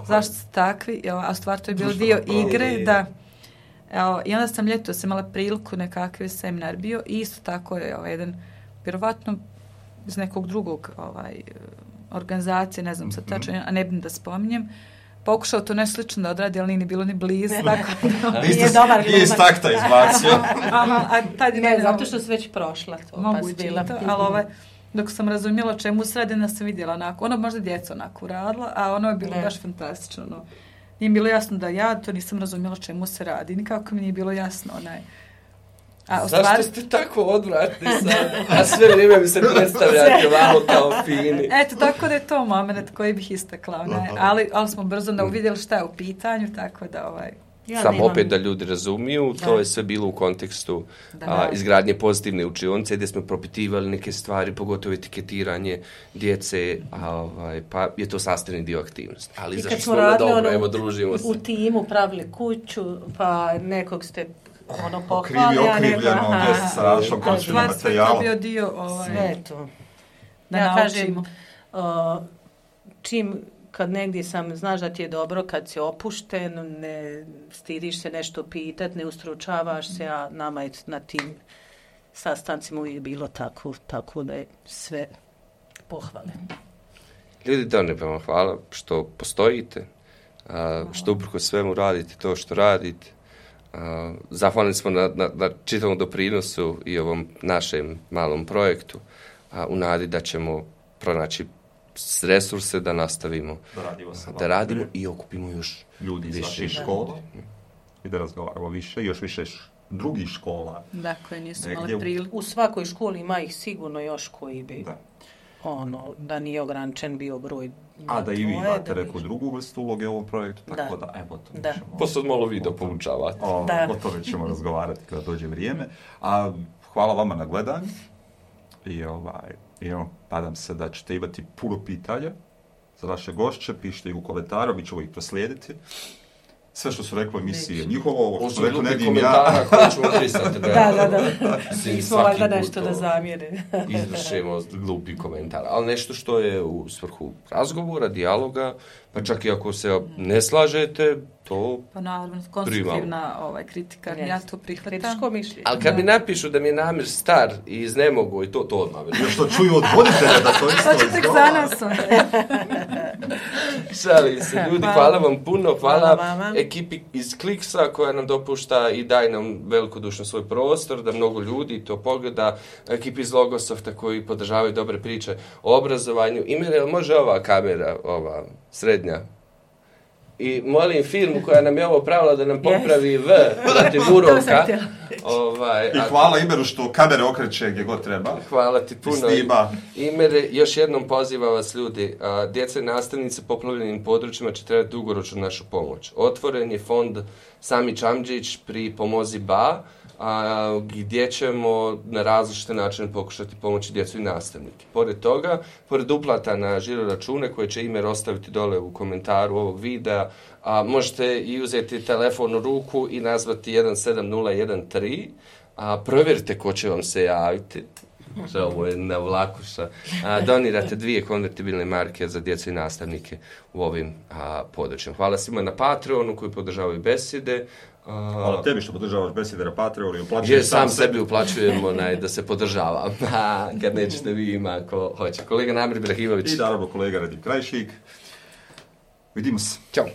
Zašto ste takvi, a stvar to je bio dio igre, da. I onda sam ljetos imala priliku, nekakvi seminar bio i isto tako je jedan, vjerovatno iz nekog drugog organizacije, ne znam sad tačno, a ne bih da spominjem, pokušao to nešto slično da odradi, ali nije bilo ni blizu. Nije dobar glumac. Iz takta izbacio. Ne, zato što su već prošla to. Moguće to, ali dok sam razumjela čemu sredina sam vidjela onako, ono možda djeca onako radila, a ono je bilo baš fantastično. Nije bilo jasno da ja to nisam razumjela čemu se radi, nikako mi nije bilo jasno. Zašto ste tako odvratni sad? A sve vrijeme mi se predstavljate malo kao fini. Eto, tako da je to moment koji bih istakla. Ali smo brzo uvidjeli šta je u pitanju, tako da Samo opet da ljudi razumiju, to je sve bilo u kontekstu izgradnje pozitivne učionice gdje smo propitivali neke stvari, pogotovo etiketiranje djece, pa je to sastavni dio aktivnosti. Ali zašto smo dobro, evo družimo se. U timu pravili kuću, pa nekog ste pohvali. Okrivljeno, gdje se sa različnom količinom materijala. To bio dio sve to. Ja kažem, čim kad negdje znaš da ti je dobro, kad si opušten, ne stidiš se nešto pitati, ne ustručavaš se, a nama je na tim sastancima uvijek bilo tako da je sve pohvale. Ljudi, da ne vam hvala što postojite, što uprkos svemu radite to što radite. Zahvalni smo na čitavom doprinosu i ovom našem malom projektu, u nadi da ćemo pronaći resurse da nastavimo da radimo i okupimo još ljudi iz vaših škola i da razgovaramo više, još više drugih škola. Dakle, nisu imali priliku. U svakoj školi ima ih sigurno još koji bi da nije ograničen bio broj. A da i vi imate neku drugu vrstu uloge u ovom projektu, tako da evo to ćemo. Pa sad malo vi da poučavate. O tome ćemo razgovarati kada dođe vrijeme. A hvala vama na gledanju i nadam se da ćete imati puno pitanja za vaše gošće, pišite ih u komentaru, mi ćemo ih proslijediti. Sve što su rekli emisije je njihovo, ovo što rekli Nedim ja. Koje ćemo pristati da. Nismo valjda nešto da zamjere. Izvršimo glupi komentar. Ali nešto što je u svrhu razgovora, dijaloga, pa čak i ako se ne slažete, to pa naravno, konstruktivna kritika, ja to prihvatam. Kritičko mišljenje. Ali kad mi napišu da mi je Namir star i iznemogo i to odmah. Što čuju od voditelja da to isto to će tek za nas. Šalim se, ljudi, hvala vam puno, hvala ekipi iz Kliksa koja nam dopušta i daje nam velikodušno svoj prostor, da mnogo ljudi to pogleda, ekipi iz Logosofta koji podržavaju dobre priče o obrazovanju. Imere, može ova kamera, ova srednja? I molim firmu koja nam je ovo pravila da nam popravi protiv uroka. I hvala Imeru što kamere okreće gdje god treba. Hvala ti puno. Imere, još jednom pozivam vas ljudi, djeca i nastavnice poplavljenim područjima će trebati dugoročnu našu pomoć. Otvoren je fond Sami Čamđić pri Pomozi Ba, gdje ćemo na različite načine pokušati pomoći djecu i nastavnike. Pored toga, pored uplata na žiro račune koje će Imer ostaviti dole u komentaru ovog videa, možete i uzeti telefon u ruku i nazvati 17013, provjerite ko će vam se javiti. Ovo je na vlakuša. Donirate 2 konvertibilne marke za djecu i nastavnike u ovim područjima. Hvala svima na Patreonu koji podržavaju besjede. Hvala tebi što podržavaš besjede na Patreonu i uplaćuješ sam sebi uplaćujem da se podržava. Kad nećete vi ima ko hoće. Kolega Namir Ibrahimović. I naravno kolega Radim Krajšik. Vidimo se. Ćao.